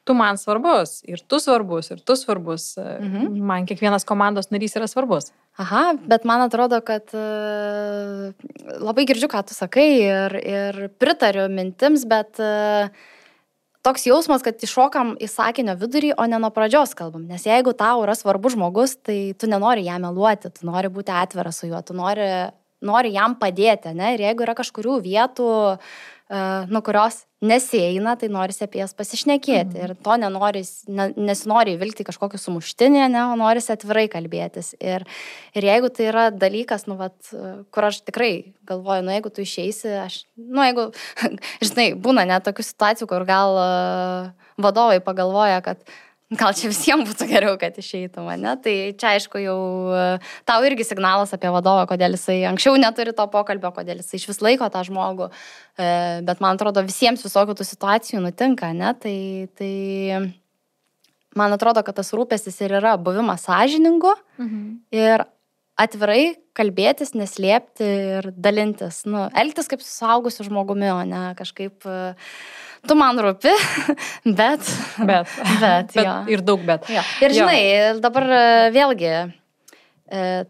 Speaker 2: tu man svarbus, ir tu svarbus, ir tu svarbus. Man kiekvienas komandos narys yra svarbus.
Speaker 3: Aha, bet man atrodo, kad labai girdžiu, ką tu sakai ir pritariu mintims, bet toks jausmas, kad iššokam į sakinio vidurį, o ne nuo pradžios kalbam. Nes jeigu tau yra svarbus žmogus, tai tu nenori jam meluoti, tu nori būti atviras su juo, tu nori jam padėti, ne? Ir jeigu yra kažkurių vietų, kurios nesieina, tai norisi apie jas pasišnekėti. Ir to nesinori įvilgti kažkokį sumuštinį, ne, o norisi atvirai kalbėtis. Ir jeigu tai yra dalykas, kur aš tikrai galvoju, jeigu tu išeisi, jeigu, žinai, būna net tokių situacijų, kur gal vadovai pagalvoja, kad gal čia visiems būtų geriau, kad išeitų mane. Tai čia, aišku, jau tau irgi signalas apie vadovą, kodėl jisai anksčiau neturi to pokalbio, kodėl jisai iš vis laiko tą žmogų. Bet man atrodo, visiems visokių tų situacijų nutinka, ne? Tai man atrodo, kad tas rūpestis ir yra buvimas sąžiningu ir atvirai kalbėtis, neslėpti ir dalintis. Elgtis kaip su suaugusiu žmogumi, o ne kažkaip... Tu man rūpi, bet jo.
Speaker 2: Ir daug bet.
Speaker 3: Jo. Ir žinai, dabar vėlgi,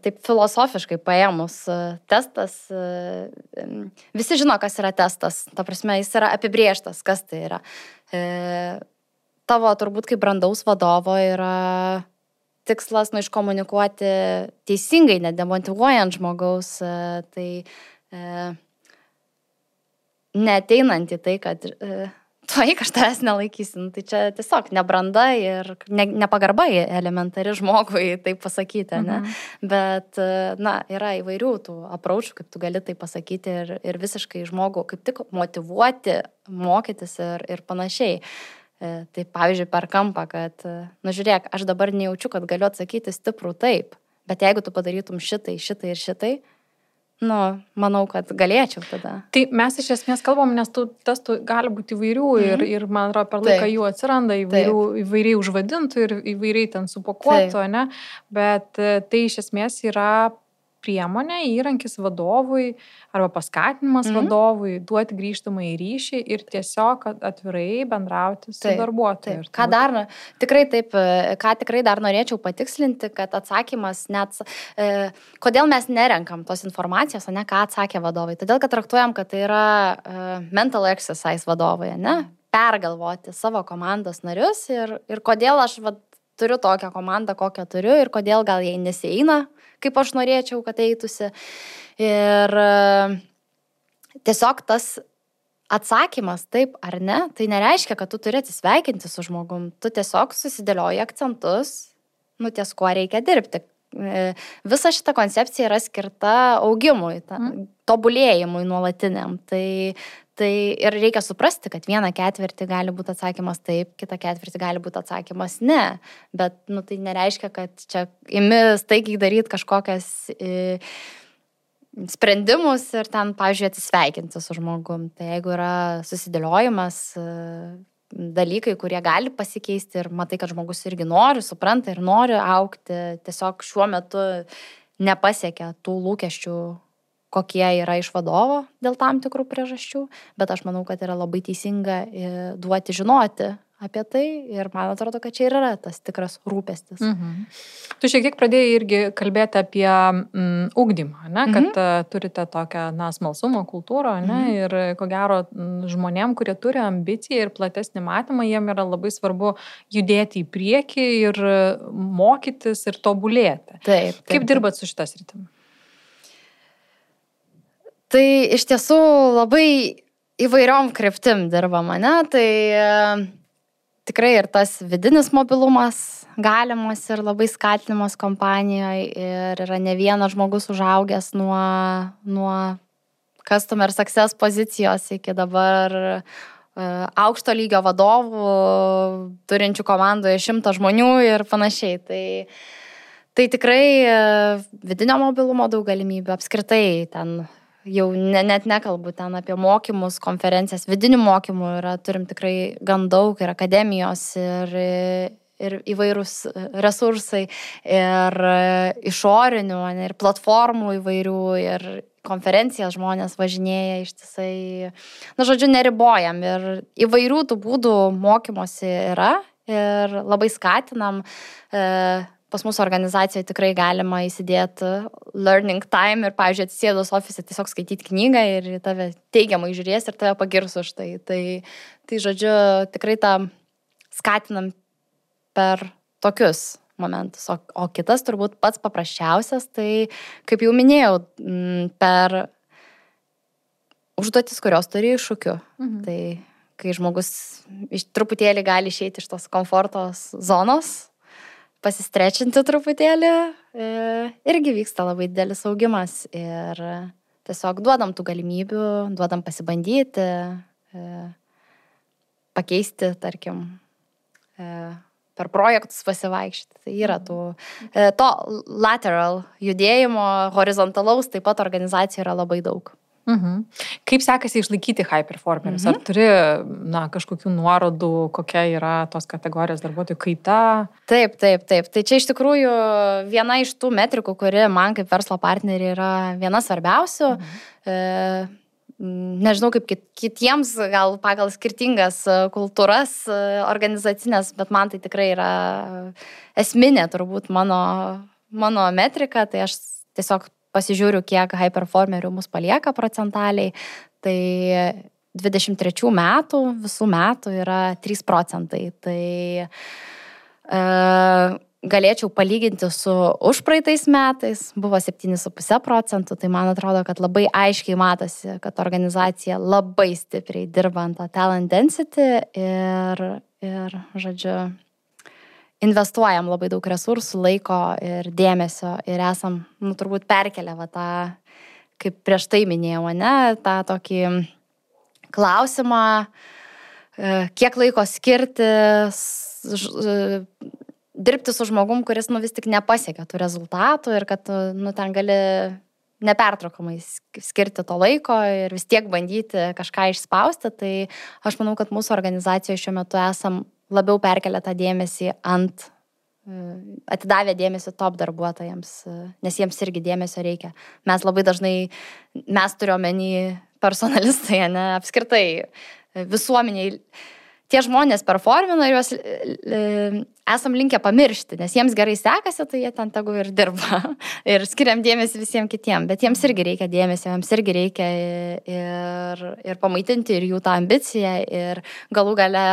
Speaker 3: taip filosofiškai paėmus testas, visi žino, kas yra testas. Ta prasme, jis yra apibrėžtas, kas tai yra. Tavo turbūt kaip brandaus vadovo yra tikslas iškomunikuoti teisingai, nedemotyvuojant žmogaus, tai neateinant į tai, kad tuoj aš tavęs nelaikysim. Tai čia tiesiog nebranda ir nepagarba elementari žmogui taip pasakyti, ne? Bet, yra įvairių tų apraučių, kaip tu gali tai pasakyti ir visiškai žmogų kaip tik motyvuoti, mokytis ir panašiai. Tai pavyzdžiui, per kampą, kad, žiūrėk, aš dabar nejaučiu, kad galiu atsakyti stiprų taip, bet jeigu tu padarytum šitai ir šitai, manau, kad galėčiau tada.
Speaker 2: Tai mes iš esmės kalbam, nes tų testų gali būti įvairių ir man atrodo, per laiką jų atsiranda įvairiai užvadintų ir įvairiai ten supakuotų, ne? Bet tai iš esmės yra priemonė, įrankis vadovui arba paskatinimas vadovui duoti grįžtamą į ryšį ir tiesiog atvirai bendrauti su darbuotoju.
Speaker 3: Ką tikrai dar norėčiau patikslinti, kad atsakymas kodėl mes nerenkam tos informacijos, ne, ką atsakė vadovai. Todėl, kad traktuojam, kad tai yra mental exercise vadovai, ne, pergalvoti savo komandos narius ir kodėl aš turiu tokią komandą, kokią turiu ir kodėl gal jai nesieina, kaip aš norėčiau, kad eitųsi. Ir tiesiog tas atsakymas taip ar ne, tai nereiškia, kad tu turi atsisveikinti su žmogum. Tu tiesiog susidėlioji akcentus, ties kuo reikia dirbti. Visa šita koncepcija yra skirta augimui, tobulėjimui nuolatiniam. Tai ir reikia suprasti, kad vieną ketvirtį gali būti atsakymas taip, kitą ketvirtį gali būti atsakymas ne. Bet tai nereiškia, kad čia imi staigiai daryti kažkokias sprendimus ir ten, pavyzdžiui, atsisveikinti su žmogum. Tai jeigu yra susidėliojimas, dalykai, kurie gali pasikeisti ir matai, kad žmogus irgi nori, supranta ir nori augti, tiesiog šiuo metu nepasiekia tų lūkesčių, kokie yra iš vadovo dėl tam tikrų priežasčių, bet aš manau, kad yra labai teisinga duoti žinoti apie tai ir man atrodo, kad čia yra tas tikras rūpestis.
Speaker 2: Tu šiek tiek pradėjai irgi kalbėti apie ugdymą, ne? Kad turite tokią smalsumo kultūrą, ne? Ir ko gero žmonėm, kurie turi ambiciją ir platesnį matymą, jiem yra labai svarbu judėti į priekį ir mokytis ir tobulėti.
Speaker 3: Taip.
Speaker 2: Kaip dirbat su šita sritimi?
Speaker 3: Tai iš tiesų labai įvairiom kryptim dirbama, ne? Tai tikrai ir tas vidinis mobilumas galimas ir labai skatinimas kompanijoje ir yra ne vienas žmogus užaugęs nuo customer success pozicijos iki dabar aukšto lygio vadovų, turinčių komandoje 100 žmonių ir panašiai. Tai tikrai vidinio mobilumo daug galimybių, apskritai ten jau net nekalbu ten apie mokymus, konferencijas, vidinių mokymų turim tikrai gan daug ir akademijos ir įvairūs resursai ir išorinių ir platformų įvairių ir konferencijas žmonės važinėja ištisai. Žodžiu, neribojam ir įvairių tų būdų mokymosi yra ir labai skatinam. Pas mūsų organizacijoje tikrai galima įsidėti learning time ir, pavyzdžiui, atsisėdus ofise tiesiog skaityti knygą ir tave teigiamai žiūrės ir tave pagirs už tai. Tai žodžiu, tikrai tą skatinam per tokius momentus. O kitas turbūt pats paprasčiausias, tai, kaip jau minėjau, per užduotis, kurios turi iššūkių. Tai kai žmogus truputėlį gali išeiti iš tos komforto zonos, pasistrečinti truputėlį, irgi vyksta labai didelis augimas ir tiesiog duodam tų galimybių, duodam pasibandyti, pakeisti, tarkim, per projektus pasivaikščioti. Tai yra to lateral judėjimo, horizontalaus, taip pat organizacijų yra labai daug.
Speaker 2: Kaip sekasi išlaikyti high performerius? Ar turi kažkokių nuorodų, kokia yra tos kategorijos darbuotojų kaita? Taip.
Speaker 3: Tai čia iš tikrųjų viena iš tų metrikų, kuri man kaip verslo partneriai yra viena svarbiausių. Nežinau, kaip kitiems, gal pagal skirtingas kultūras organizacinės, bet man tai tikrai yra esminė turbūt mano metrika. Tai aš tiesiog pasižiūriu, kiek high performerių mus palieka procentaliai. Tai 23 metų, visų metų yra 3%. Tai galėčiau palyginti su užpraeitais metais, buvo 7,5%. Tai man atrodo, kad labai aiškiai matosi, kad organizacija labai stipriai dirba ant talent density ir žodžiu, investuojam labai daug resursų, laiko ir dėmesio ir esam, turbūt perkelę tą, kaip prieš tai minėjau, tą tokį klausimą, kiek laiko skirti dirbti su žmogum, kuris vis tik nepasiekia tų rezultatų ir kad ten gali nepertraukamai skirti to laiko ir vis tiek bandyti kažką išspausti. Tai aš manau, kad mūsų organizacijoje šiuo metu esam labiau perkelia tą dėmesį atidavę dėmesį top darbuotojams, nes jiems irgi dėmesio reikia. Mes labai dažnai, mes turiuomenį personalistai, apskritai visuomeniai, tie žmonės performina ir juos esam linkę pamiršti, nes jiems gerai sekasi, tai jie ten tegu ir dirba ir skiriam dėmesį visiems kitiem, bet jiems irgi reikia dėmesio, jiems irgi reikia ir pamaitinti ir jų tą ambiciją ir galų gale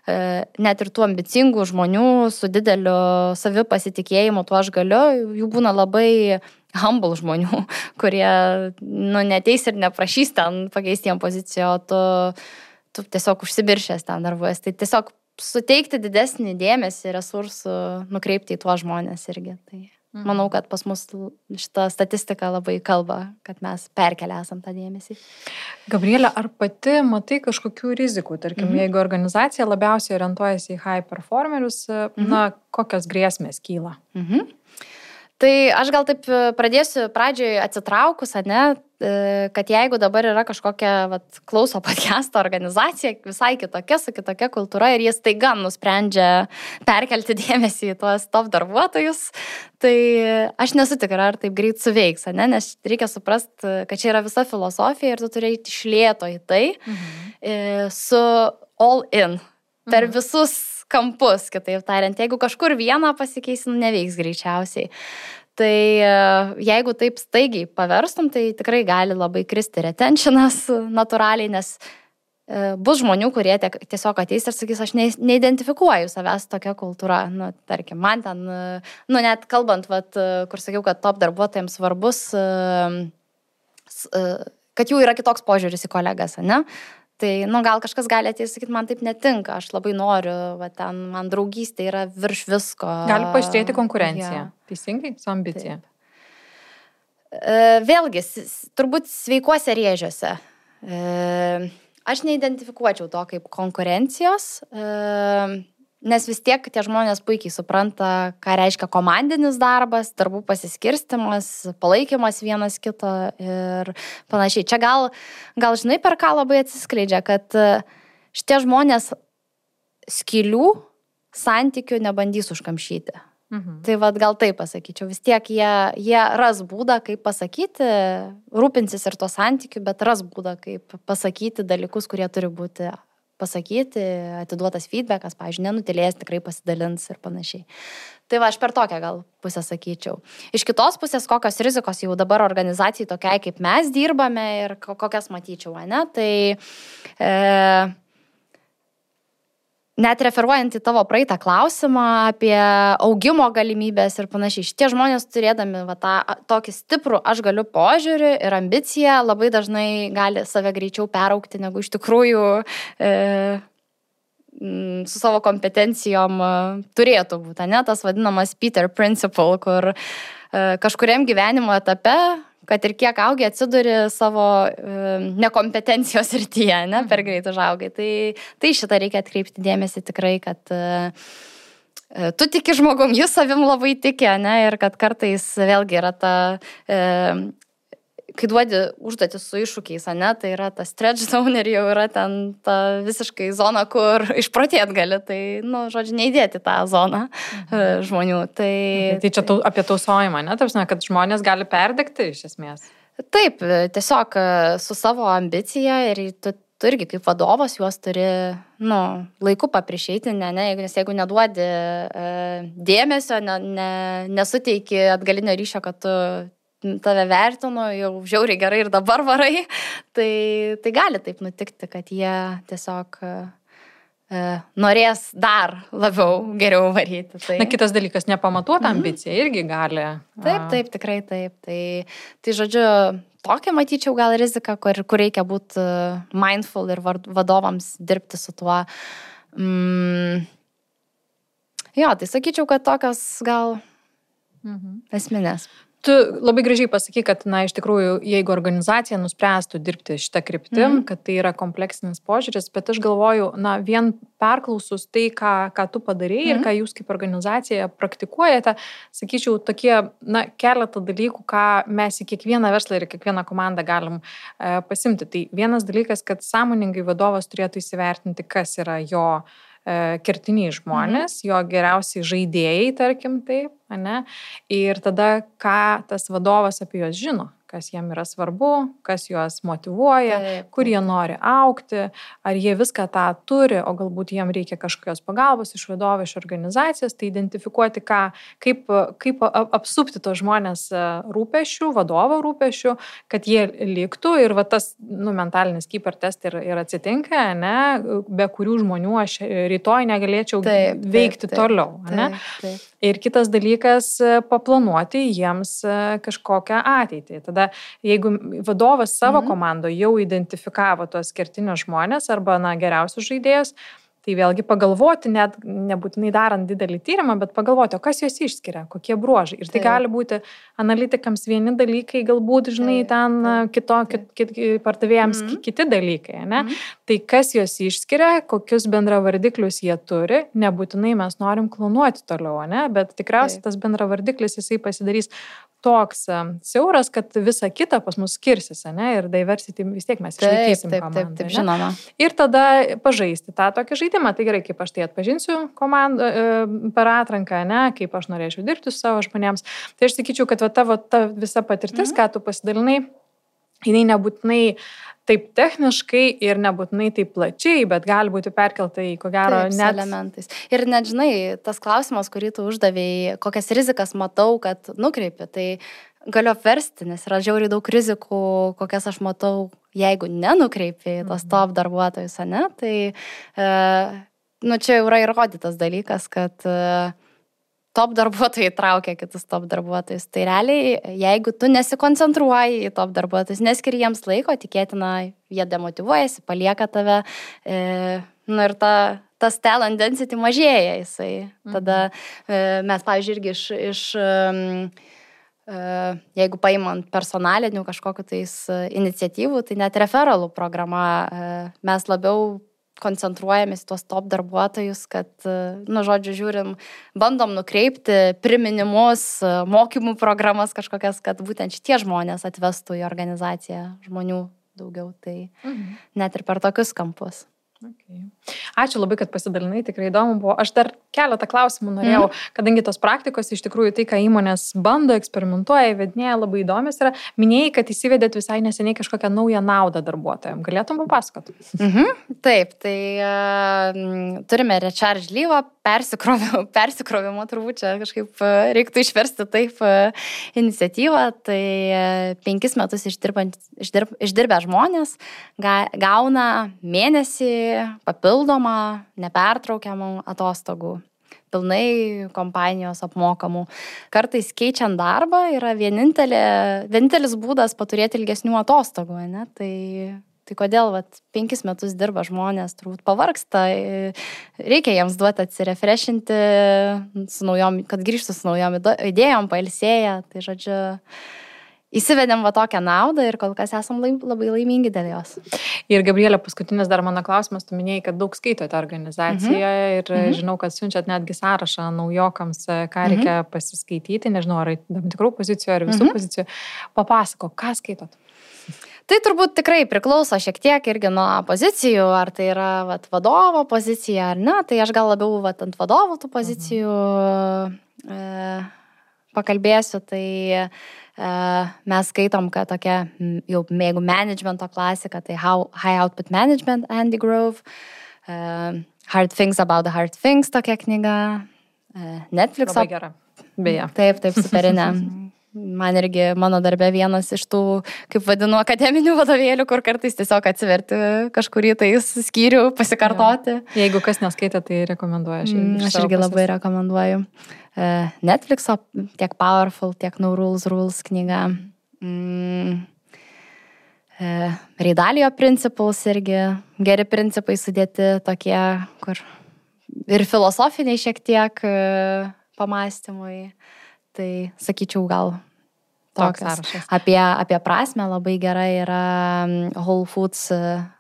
Speaker 3: net ir tų ambicingų žmonių su dideliu savipasitikėjimu, tuo aš galiu, jų būna labai humble žmonių, kurie neteis ir neprašys ten pakeisti jiem poziciją, o tu tiesiog užsibiršęs ten darbuojas. Tai tiesiog suteikti didesnį dėmesį, resursų, nukreipti į tuos žmonės irgi. Tai manau, kad pas mus šita statistika labai kalba, kad mes perkelia esam tą dėmesį.
Speaker 2: Gabrielė, ar pati matai kažkokių rizikų? Tarkim, jeigu organizacija labiausiai orientuojasi į high performerius, kokios grėsmės kyla?
Speaker 3: Tai aš gal taip pradėsiu pradžioj atsitraukus, kad jeigu dabar yra kažkokia klauso podcast'o organizacija, visai kitokia, su kitokia kultūra ir jie staiga nusprendžia perkelti dėmesį į tuos top darbuotojus, tai aš nesu tikra, ar taip greit suveiks, nes reikia suprasti, kad čia yra visa filosofija ir tu turi eiti iš lėto į tai su all in, per visus kampus, kitaip tariant. Jeigu kažkur vieną pasikeis, neveiks greičiausiai. Tai jeigu taip staigiai paverstum, tai tikrai gali labai kristi retentionas natūraliai, nes bus žmonių, kurie tiesiog ateis ir sakys, aš neidentifikuoju savęs tokia kultūra. Tarkim, man ten, net kalbant, kur sakiau, kad top darbuotojams svarbus, kad jų yra kitoks požiūris į kolegas, Tai, gal kažkas gali ateiti ir sakyti, man taip netinka, aš labai noriu, man draugystė yra virš visko.
Speaker 2: Gali paaštrėti konkurencija, teisingai, su ambicija.
Speaker 3: Vėlgi, turbūt sveikuose rėžiuose. Aš neidentifikuočiau to kaip konkurencijos, nes vis tiek tie žmonės puikiai supranta, ką reiškia komandinis darbas, darbų pasiskirstimas, palaikymas vienas kito ir panašiai. Čia gal žinai, per ką labai atsiskleidžia, kad šitie žmonės skylių santykių nebandys užkamšyti. Tai gal taip pasakyčiau, vis tiek jie ras būdą, kaip pasakyti, rūpinsis ir to santykių, bet ras būdą, kaip pasakyti dalykus, kurie turi būti pasakyti, atiduotas feedbackas, pavyzdžiui, nenutilės, tikrai pasidalins ir panašiai. Tai aš per tokią gal pusę sakyčiau. Iš kitos pusės, kokios rizikos jau dabar organizacijai tokiai, kaip mes dirbame ir kokias matyčiau, Tai net referuojant į tavo praeitą klausimą apie augimo galimybės ir panašiai, šitie žmonės turėdami tokį stiprų aš galiu požiūrį ir ambiciją labai dažnai gali save greičiau peraugti, negu iš tikrųjų su savo kompetencijom turėtų būti, ne? Tas vadinamas Peter Principle, kur kažkuriam gyvenimo etape, kad ir kiek augi, atsiduri savo nekompetencijos srityje, ne, per greit užaugai. Tai šitą reikia atkreipti dėmesį tikrai, kad tu tiki žmogum, jis savim labai tiki, ne, ir kad kartais vėlgi yra ta, kai duodi užduotis su iššūkiais, ne, tai yra ta stretch zone ir jau yra ten ta visiškai zona, kur išprotėt gali, tai, žodžiu, neįdėti tą zoną žmonių. Tai
Speaker 2: čia apie tausojimą, ne, tarsi, kad žmonės gali perdegti iš esmės.
Speaker 3: Taip, tiesiog su savo ambicija ir tu irgi kaip vadovas juos turi, laiku paprišeiti, nes jeigu neduodi dėmesio, nesuteiki atgalinio ryšio, kad tu tave vertinu, jau žiauriai gerai ir dabar varai, tai gali taip nutikti, kad jie tiesiog norės dar labiau geriau varyti. Tai...
Speaker 2: kitas dalykas, nepamatuota ambicija irgi gali.
Speaker 3: Taip, tikrai taip. Tai žodžiu, tokia matyčiau gal rizika, kur reikia būti mindful ir vadovams dirbti su tuo. Jo, tai sakyčiau, kad tokios gal esminės.
Speaker 2: Tu labai gražiai pasakai, kad, iš tikrųjų, jeigu organizacija nuspręstų dirbti šitą kryptim, kad tai yra kompleksinis požiūris, bet aš galvoju, vien perklausus tai, ką tu padarei ir ką jūs kaip organizacija praktikuojate, sakyčiau, tokie, keletą dalykų, ką mes į kiekvieną verslą ir kiekvieną komandą galim pasimti. Tai vienas dalykas, kad sąmoningai vadovas turėtų įsivertinti, kas yra jo kertiniai žmonės, jo geriausiai žaidėjai, tarkim taip, ne? Ir tada, ką tas vadovas apie juos žino, kas jiem yra svarbu, kas juos motyvuoja, kur jie nori augti, ar jie viską tą turi, o galbūt jiem reikia kažkokios pagalbos iš vadovo, iš organizacijos, tai identifikuoti, kaip apsupti tos žmonės rūpesčių, vadovo rūpesčių, kad jie liktų ir tas mentalinis keeper test ir atsitinka, ne, be kurių žmonių aš rytoj negalėčiau veikti toliau. Ne? Ir kitas dalykas, paplanuoti jiems kažkokią ateitį. Tada, jeigu vadovas savo komandoje jau identifikavo tuos kertinius žmonės arba geriausius žaidėjus, tai vėlgi pagalvoti, net nebūtinai darant didelį tyrimą, bet pagalvoti, o kas juos išskiria, kokie bruožai. Ir tai gali būti analitikams vieni dalykai, galbūt, ten pardavėjams kiti dalykai. Ne? Tai kas juos išskiria, kokius bendravardiklius jie turi, nebūtinai mes norim klonuoti toliau, ne? Bet tikriausiai tas bendravardiklis jisai pasidarys toks siauras, kad visa kita pas mus skirsis, ne? Ir diversity vis tiek mes išlaikysim komandą.
Speaker 3: Taip, žinoma.
Speaker 2: Ir tada pažaisti tą tokį žaidimą. Tai gerai, kaip aš tai atpažinsiu komandą per atranką, ne? Kaip aš norėčiau dirbti su savo žmonėms. Tai aš sakyčiau, kad tavo ta visa patirtis, ką tu pasidalinai, jinai nebūtinai taip techniškai ir nebūtinai taip plačiai, bet gali būti perkelta į, ko gero, net
Speaker 3: elementais. Ir net, žinai, tas klausimas, kurį tu uždavėjai, kokias rizikas matau, kad nukreipi, tai galiu apversti, nes yra žiauriai daug rizikų, kokias aš matau, jeigu nenukreipi tos top darbuotojus, ne? Tai, čia jau yra įrodytas dalykas, kad top darbuotojai traukia kitus top darbuotojus. Tai realiai, jeigu tu nesikoncentruoji į top darbuotojus, neskiri jiems laiko, tikėtina, jie demotyvuojasi, palieka tave, ir tas talent density mažėja jisai. Tada mes, pavyzdžiui, irgi jeigu paimant personalinių kažkokių tais iniciatyvų, tai net referalų programa mes labiau koncentruojamės į tuos top darbuotojus, kad, žodžiu, žiūrim, bandom nukreipti priminimus, mokymų programas kažkokias, kad būtent šitie žmonės atvestų į organizaciją žmonių daugiau, tai net ir per tokius kampus.
Speaker 2: Okay. Ačiū labai, kad pasidalinai, tikrai įdomu buvo. Aš dar keletą klausimų norėjau, kadangi tos praktikos iš tikrųjų tai, ką įmonės bando, eksperimentuoja, įvedinėja, labai įdomios yra. Minėjai, kad įsivedėt visai neseniai kažkokią naują naudą darbuotojams. Galėtum papasakoti?
Speaker 3: Taip, tai turime recharge leave persikrovimo turbūt čia kažkaip reiktų išversti taip iniciatyvą. Tai 5 metus išdirbę žmonės gauna mėnesį papildomą, nepertraukiamų atostogų. Pilnai kompanijos apmokamų. Kartais keičiant darbą yra vienintelis būdas paturėti ilgesnių atostogų, ne? Tai kodėl 5 metus dirba žmonės, turbūt pavargsta, reikia jiems duoti atsirefreshinti, kad grįžtų su naujom idėjom, pailsėję. Tai žodžiu, įsivedėm tokią naudą ir kol kas esam labai laimingi dėl jos.
Speaker 2: Ir Gabrielė, paskutinis dar mano klausimas, tu minėjai, kad daug skaitote organizacijoje ir žinau, kad siunčiat netgi sąrašą naujokams, ką reikia pasiskaityti, nežinau, ar tam tikrų pozicijų, ar visų pozicijų. Papasako, ką skaitot?
Speaker 3: Tai turbūt tikrai priklauso šiek tiek irgi nuo pozicijų, ar tai yra vadovo pozicija ar ne, tai aš gal labiau ant vadovų tų pozicijų pakalbėsiu, tai mes skaitom, kad tokia jau mėgų managemento klasika, tai High Output Management, Andy Grove, Hard Things About the Hard Things, tokia knyga, Netflix'o.
Speaker 2: Labai gera, beje.
Speaker 3: Taip, superinė. Man irgi mano darbe vienas iš tų, kaip vadinu, akademinių vadovėlių, kur kartais tiesiog atsiverti kažkurį tai skyrių, pasikartoti.
Speaker 2: Ja. Jeigu kas neskaitė, tai rekomenduoju.
Speaker 3: Aš irgi labai rekomenduoju. Netflix'o tiek Powerful, tiek No Rules knyga. Reidalijo Principles irgi geri principai sudėti tokie, kur ir filosofiniai šiek tiek pamąstymui. Tai sakyčiau gal toks. Apie prasmę labai gerai yra Whole Foods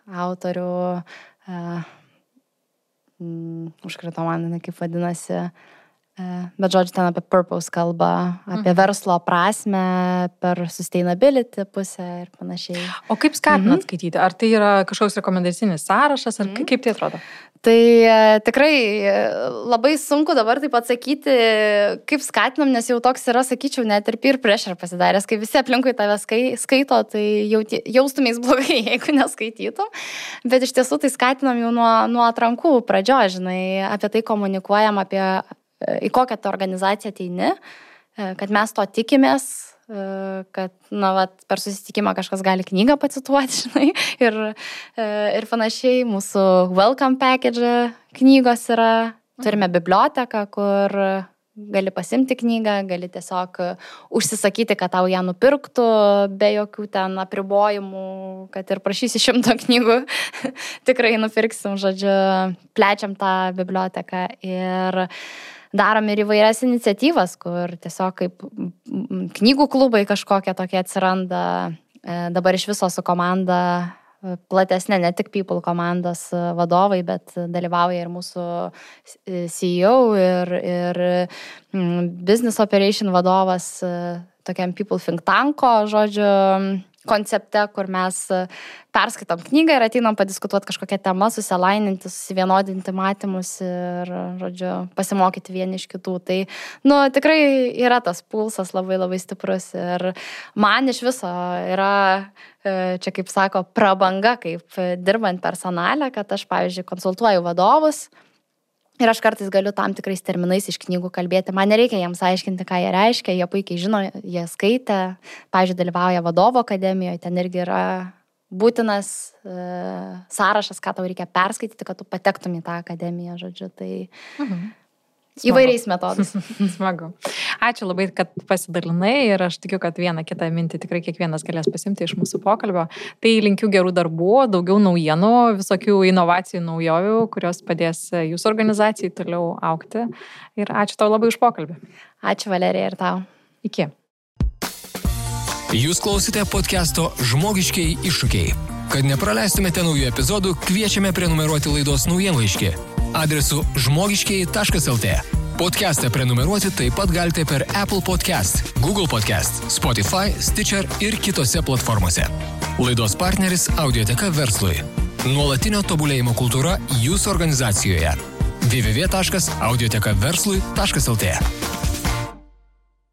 Speaker 3: autorių, užkrito man, kaip vadinasi, bet žodžiu ten apie purpose kalba, apie verslo prasmę per sustainability pusę ir panašiai.
Speaker 2: O kaip skatinat skaityti? Ar tai yra kažkoks rekomendacinis sąrašas, ar kaip tai atrodo?
Speaker 3: Tai tikrai labai sunku dabar taip atsakyti, kaip skatinam, nes jau toks yra, sakyčiau, net ir peer pressure pasidaręs, kai visi aplinkui tave skaito, tai jaustumės blogai, jeigu neskaitytum. Bet iš tiesų tai skatinam jau nuo atrankų pradžios, žinai, apie tai komunikuojam, į kokią tą organizaciją ateini, kad mes to tikimės, kad per susitikimą kažkas gali knygą pacituoti, žinai, ir panašiai. Mūsų welcome package knygos yra, turime biblioteką, kur gali pasimti knygą, gali tiesiog užsisakyti, kad tau ją nupirktų, be jokių ten apribojimų, kad ir prašysi 100 knygų, tikrai nupirksim, žodžiu, plečiam tą biblioteką ir darom ir įvairias iniciatyvas, kur tiesiog kaip knygų klubai kažkokie tokie atsiranda. Dabar iš viso su komanda platesnė, ne tik People komandos vadovai, bet dalyvauja ir mūsų CEO ir Business Operation vadovas tokiam People Think Tanko, žodžiu, koncepte, kur mes perskaitom knygą ir ateinam padiskutuoti kažkokią temą, susilaininti, susivienodinti matymus ir, žodžiu, pasimokyti vieni iš kitų. Tai, tikrai yra tas pulsas labai labai stiprus ir man iš viso yra, čia kaip sako, prabanga, kaip dirbant personale, kad aš, pavyzdžiui, konsultuoju vadovus. Ir aš kartais galiu tam tikrais terminais iš knygų kalbėti. Man nereikia jiems aiškinti, ką jie reiškia. Jie puikiai žino, jie skaitė. Pavyzdžiui, dalyvauja vadovo akademijoje. Ten irgi yra būtinas sąrašas, ką tau reikia perskaityti, kad tu patektum į tą akademiją, žodžiu. Tai įvairiais metodais.
Speaker 2: Smagu. Ačiū labai, kad pasidalinai ir aš tikiu, kad vieną kitą mintį tikrai kiekvienas galės pasimti iš mūsų pokalbio. Tai linkiu gerų darbų, daugiau naujienų, visokių inovacijų, naujovių, kurios padės jūsų organizacijai toliau augti. Ir ačiū tau labai už pokalbį.
Speaker 3: Ačiū, Valerija, ir tau.
Speaker 2: Iki.
Speaker 1: Jūs klausite podcast'o Žmogiškieji iššūkiai. Kad nepraleistumėte naujų epizodų, kviečiame prenumeruoti laidos naujienlaiškį adresu žmogiškieji.lt. Podcast'ą prenumeruoti taip pat galite per Apple Podcast, Google Podcast, Spotify, Stitcher ir kitose platformose. Laidos partneris Audioteka verslui. Nuolatinio tobulėjimo kultūra jūsų organizacijoje. www.audiotekaverslui.lt